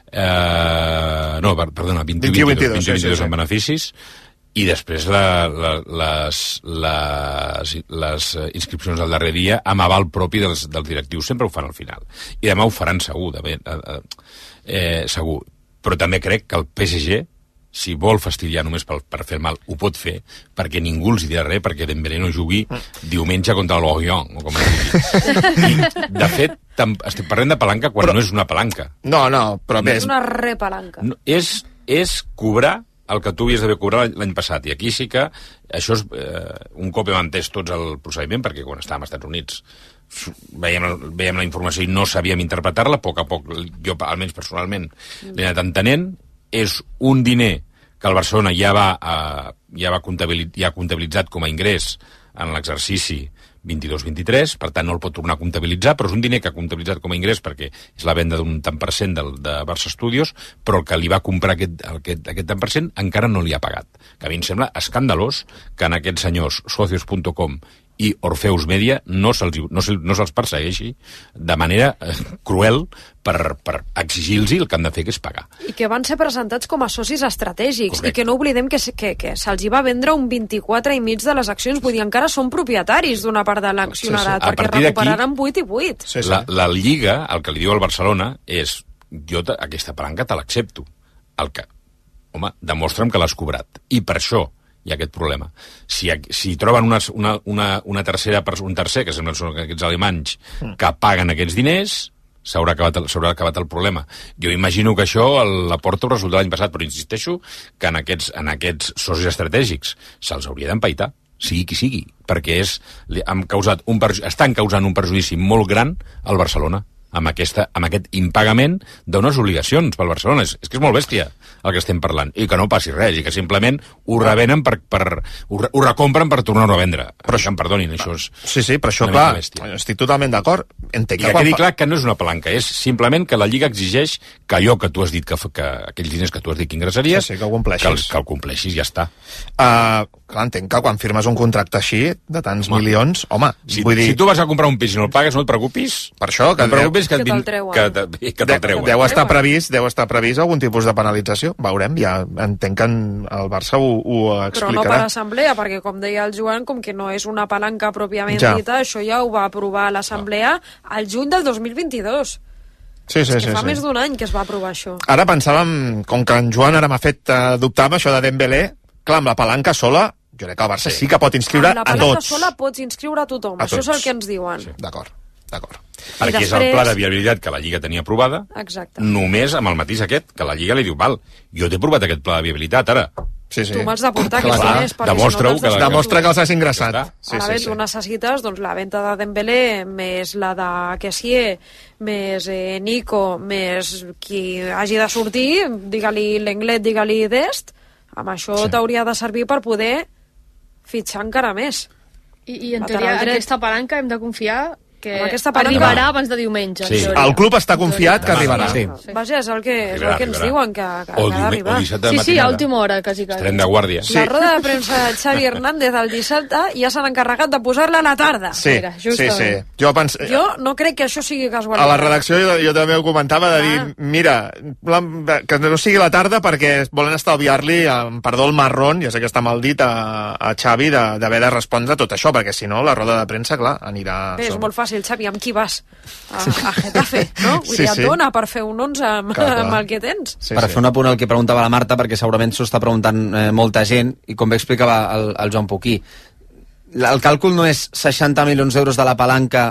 S14: 21-22 amb beneficis, i després les inscripcions del darrer dia amb aval propi dels directius. Sempre ho fan al final. I demà ho faran segur, segur. Però també crec que el PSG, si vol fastidiar només per fer mal, ho pot fer, perquè ningú els dirà res, perquè Dembélé no jugui diumenge contra l'Orient, o com es digui. I, de fet, estic parlant de palanca quan no és una palanca.
S2: No, però bé...
S11: És una repalanca.
S14: És cobrar el que tu havies d'haver cobrat l'any passat, i aquí sí que això és un cop hem entès tots el procediment, perquè quan estàvem als Estats Units veiem la informació i no sabíem interpretar-la, a poc, jo almenys personalment l'he anat entenent. És un diner que el Barcelona ja ha comptabilitzat com a ingrés en l'exercici 22-23, per tant no el pot tornar a comptabilitzar, però és un diner que ha comptabilitzat com a ingrés perquè és la venda d'un tant per cent de Barça Studios, però el que li va comprar aquest tant per cent encara no li ha pagat. Que a mi em sembla escandalós que en aquests senyors socios.com i Orfeus Media no se'ls persegueixi de manera cruel per exigir-los el que han de fer, que és pagar.
S11: I que van ser presentats com a socis estratègics. Correcte. I que no oblidem que se'ls va vendre un 24,5% de les accions, vull dir, encara són propietaris d'una part de l'accionarat, perquè recuperaran 8 i 8.
S14: Sí. La Lliga, el que li diu al Barcelona és, jo aquesta palanca te l'accepto. Demostra'm que l'has cobrat. I per això hi ha aquest problema. Si troben un tercer, que sembla que són aquests alemanys, que paguen aquests diners, s'haurà acabat el problema. Jo imagino que això la Porta ho resoldrà l'any passat, però insisteixo que en aquests socis estratègics se'ls hauria d'empaitar, sigui qui sigui, perquè estan causant un perjudici molt gran al Barcelona. amb aquest impagament d'unes obligacions pel Barcelona. És que és molt bèstia el que estem parlant, i que no passi res, i que simplement ho revenen ho recompren per tornar-ho a vendre. Però això em perdonin, això és...
S2: Sí, però això, clar, estic totalment d'acord.
S14: I que quedi clar que no és una palanca, és simplement que la Lliga exigeix que allò que tu has dit, que aquells diners que tu has dit que ingressaries,
S2: que ho compleixis.
S14: Que el compleixis, ja està.
S2: Clar, entenc que quan firmes un contracte així, de tants milions, home,
S14: vull dir... Si tu vas a comprar un pis i no el pagues, no et preocupis.
S2: Per això, que
S14: te'l treuen.
S2: Deu estar previst algun tipus de penalització. Veurem, ja entenc que el Barça ho explicarà.
S11: Però no per assemblea, perquè com deia el Joan, com que no és una palanca pròpiament dita, això ja ho va aprovar l'assemblea al juny del 2022.
S2: Sí,
S11: fa més d'un any que es va aprovar això.
S2: Ara pensàvem, com que en Joan ara m'ha fet dubtar amb això de Dembélé, clar, amb la palanca sola, jo crec que el Barça sí que pot inscriure a tots.
S11: Amb la palanca sola pots inscriure a tothom, això és el que ens diuen.
S2: D'acord.
S14: Perquè és el pla de viabilitat que la Lliga tenia aprovada, només amb el matís aquest, que la Lliga li diu, val, jo t'he aprovat aquest pla de viabilitat, ara.
S2: Sí.
S11: Tu m'has d'aportar aquests diners, perquè
S2: demostra que els has ingressat.
S11: Ara bé, tu necessites la venda de Dembélé, més la de Kessié, més Nico, més qui hagi de sortir, digue-li Lenglet, digue-li Dest, amb això t'hauria de servir per poder fitxar encara més.
S12: I en teoria, aquesta palanca hem de confiar que
S11: palanca
S12: arribarà abans de diumenge.
S2: Sí. El club està confiat que arribarà.
S11: Vaja, és el que ens diuen, que ha d'arribar.
S12: Sí, a última hora, quasi.
S14: Tren de guàrdia.
S11: La roda de premsa de Xavi Hernández el dissabte ja s'han encarregat de posar-la a la tarda.
S2: Sí.
S11: Jo no crec que això sigui casualitat.
S2: A la redacció jo també ho comentava, de dir, mira, que no sigui la tarda perquè volen estalviar-li, perdó, el marrón, ja sé que està mal dit, a Xavi d'haver de respondre tot això, perquè si no, la roda de premsa, clar, anirà...
S11: Bé, és molt fàcil, Xavi, amb qui vas? A Getafe, no? Vull dir, et dona per fer un 11 amb el que tens.
S15: Per fer un apunt al que preguntava la Marta, perquè segurament s'ho està preguntant molta gent, i com bé explicava el Joan Poquí, el càlcul no és 60 milions d'euros de la palanca,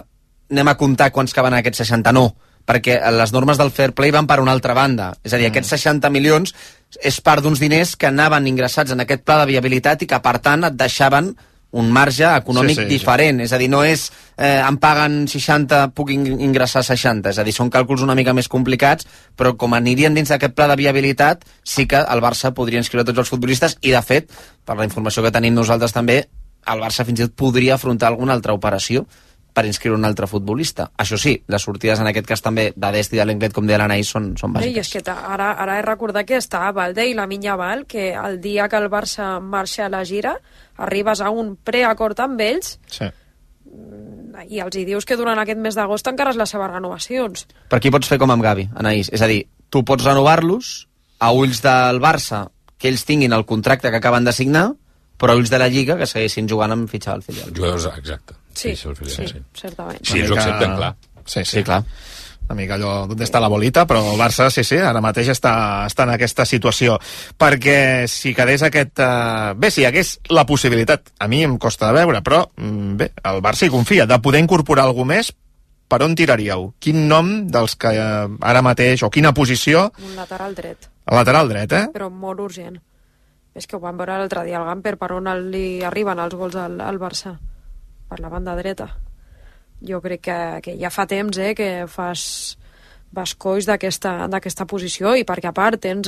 S15: anem a comptar quants que van a aquests 60, no, perquè les normes del fair play van per una altra banda. És a dir, aquests 60 milions és part d'uns diners que anaven ingressats en aquest pla de viabilitat i que, per tant, et deixaven un marge econòmic diferent. És a dir, no és em paguen 60, puc ingressar 60. És a dir, són càlculs una mica més complicats, però com anirien dins d'aquest pla de viabilitat, sí que el Barça podria inscriure tots els futbolistes i, de fet, per la informació que tenim nosaltres també, el Barça fins i tot podria afrontar alguna altra operació per inscriure un altre futbolista. Això sí, les sortides en aquest cas també de Dest i de Lenglet, com deia l'Anaïs, són bàsiques.
S11: I és que ara he recordat que està Valde i la Val, que el dia que el Barça marxa a la gira, arribes a un preacord amb ells i els hi dius que durant aquest mes d'agost encara les seves renovacions.
S15: Per aquí pots fer com amb Gavi, Anaïs. És a dir, tu pots renovar-los a ulls del Barça, que ells tinguin el contracte que acaben de signar, però a ulls de la Lliga que segueixin jugant amb fitxar al filial.
S14: Jugadors, exacte.
S11: Sí, certament.
S14: Sí, ells ho accepten, clar.
S2: Sí, clar. Una mica allò d'on està la bolita, però el Barça, sí, ara mateix està en aquesta situació. Perquè si quedés aquest... Bé, si hi hagués la possibilitat, a mi em costa de veure, però bé, el Barça hi confia, de poder incorporar algú més, per on tiraríeu? Quin nom dels que ara mateix, o quina posició...
S11: Un lateral dret.
S2: El lateral dret,
S11: Però molt urgent. És que ho vam veure l'altre dia al Gamper, per on li arriben els gols al Barça. Per la banda dreta. Jo crec que ja fa temps que fas coix d'aquesta posició, i perquè a part tens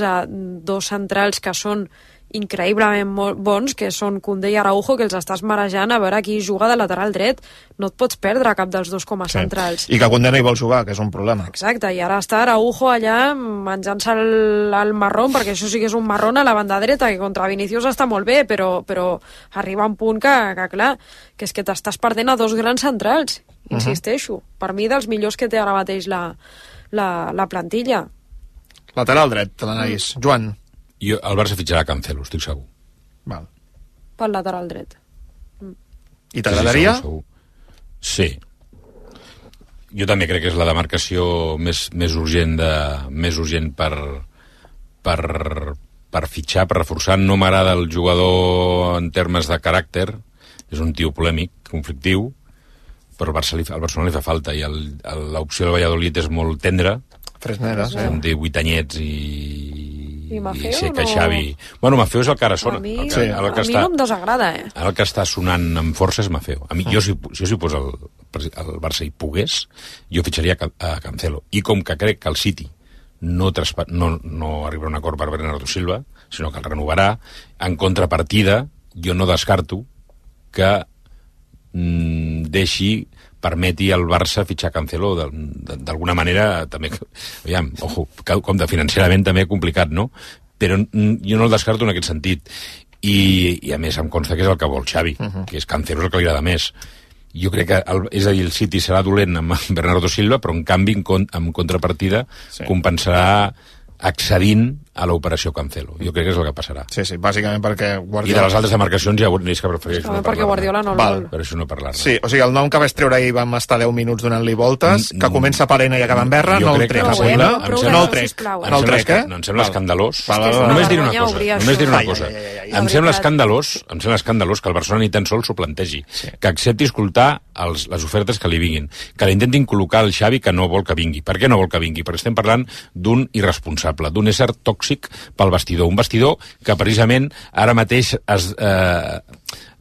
S11: dos centrals que són increïblement molt bons, que són Koundé i Araujo, que els estàs marejant a veure qui juga de lateral dret. No et pots perdre cap dels dos com a centrals.
S2: I que Koundé no hi vol jugar, que és un problema.
S11: Exacte, i ara està Araujo allà menjant-se el marrón, perquè això sí que és un marrón a la banda dreta, que contra Vinicius està molt bé, però arriba un punt que clar, que és que t'estàs perdent a dos grans centrals, insisteixo. Per mi, dels millors que té ara mateix la plantilla.
S2: Lateral dret, l'Anaïs. Joan.
S14: El Barça fitxarà Cancelo, estic segur.
S2: Val.
S11: Pel lateral dret.
S2: I t'agradaria?
S14: Sí. Jo també crec que és la demarcació més urgent per fitxar, per reforçar. No m'agrada el jugador en termes de caràcter, és un tio polèmic, conflictiu, però al Barcelona li fa falta, i l'opció del Valladolid és molt tendra.
S2: Fresneda, sí.
S14: Són 18 anyets
S11: I Maffeo,
S14: sé que Xavi... Bueno, Maffeo és el que ara sona.
S11: A mi no em desagrada,
S14: Ara el que està sonant amb força és Maffeo. A mi, jo si poso Barça hi pogués, jo fitxaria a Cancelo. I com que crec que el City no arribarà a un acord per Bernardo Silva, sinó que el renovarà, en contrapartida, jo no descarto que permeti al Barça fitxar Cancelo d'alguna manera també, aviam, ojo, com de financerament també complicat, no? Però jo no el descarto en aquest sentit i a més em consta que és el que vol Xavi, que és Cancelo el que li agrada més. Jo crec que, és a dir, el City serà dolent amb Bernardo Silva, però en canvi en contrapartida compensarà accedint a l'operació Cancelo. Jo crec que és el que passarà.
S2: Sí, bàsicament perquè Guardiola...
S14: I de les altres demarcacions ja és que prefereixo no parlar.
S11: Perquè Guardiola no el vol.
S14: Per això no parlar-ne.
S2: Sí, o sigui, el nom que vaig treure ahir vam estar 10 minuts donant-li voltes, que comença per Ena i acaba en Berra, no el trec. No el trec, eh?
S14: No, em sembla escandalós. Només diré una cosa. Em sembla escandalós que el Barcelona ni tan sols s'ho plantegi. Que accepti escoltar les ofertes que li vinguin. Que l'intentin col·locar el Xavi que no vol que vingui. Per què no vol que vingui? Perquè estem parlant d'un irresponsable, d'un ésser tòxic pel vestidor. Un vestidor que precisament ara mateix en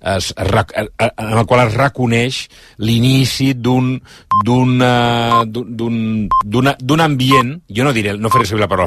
S14: el qual es reconeix l'inici d'un ambient, jo no faré servir la paraula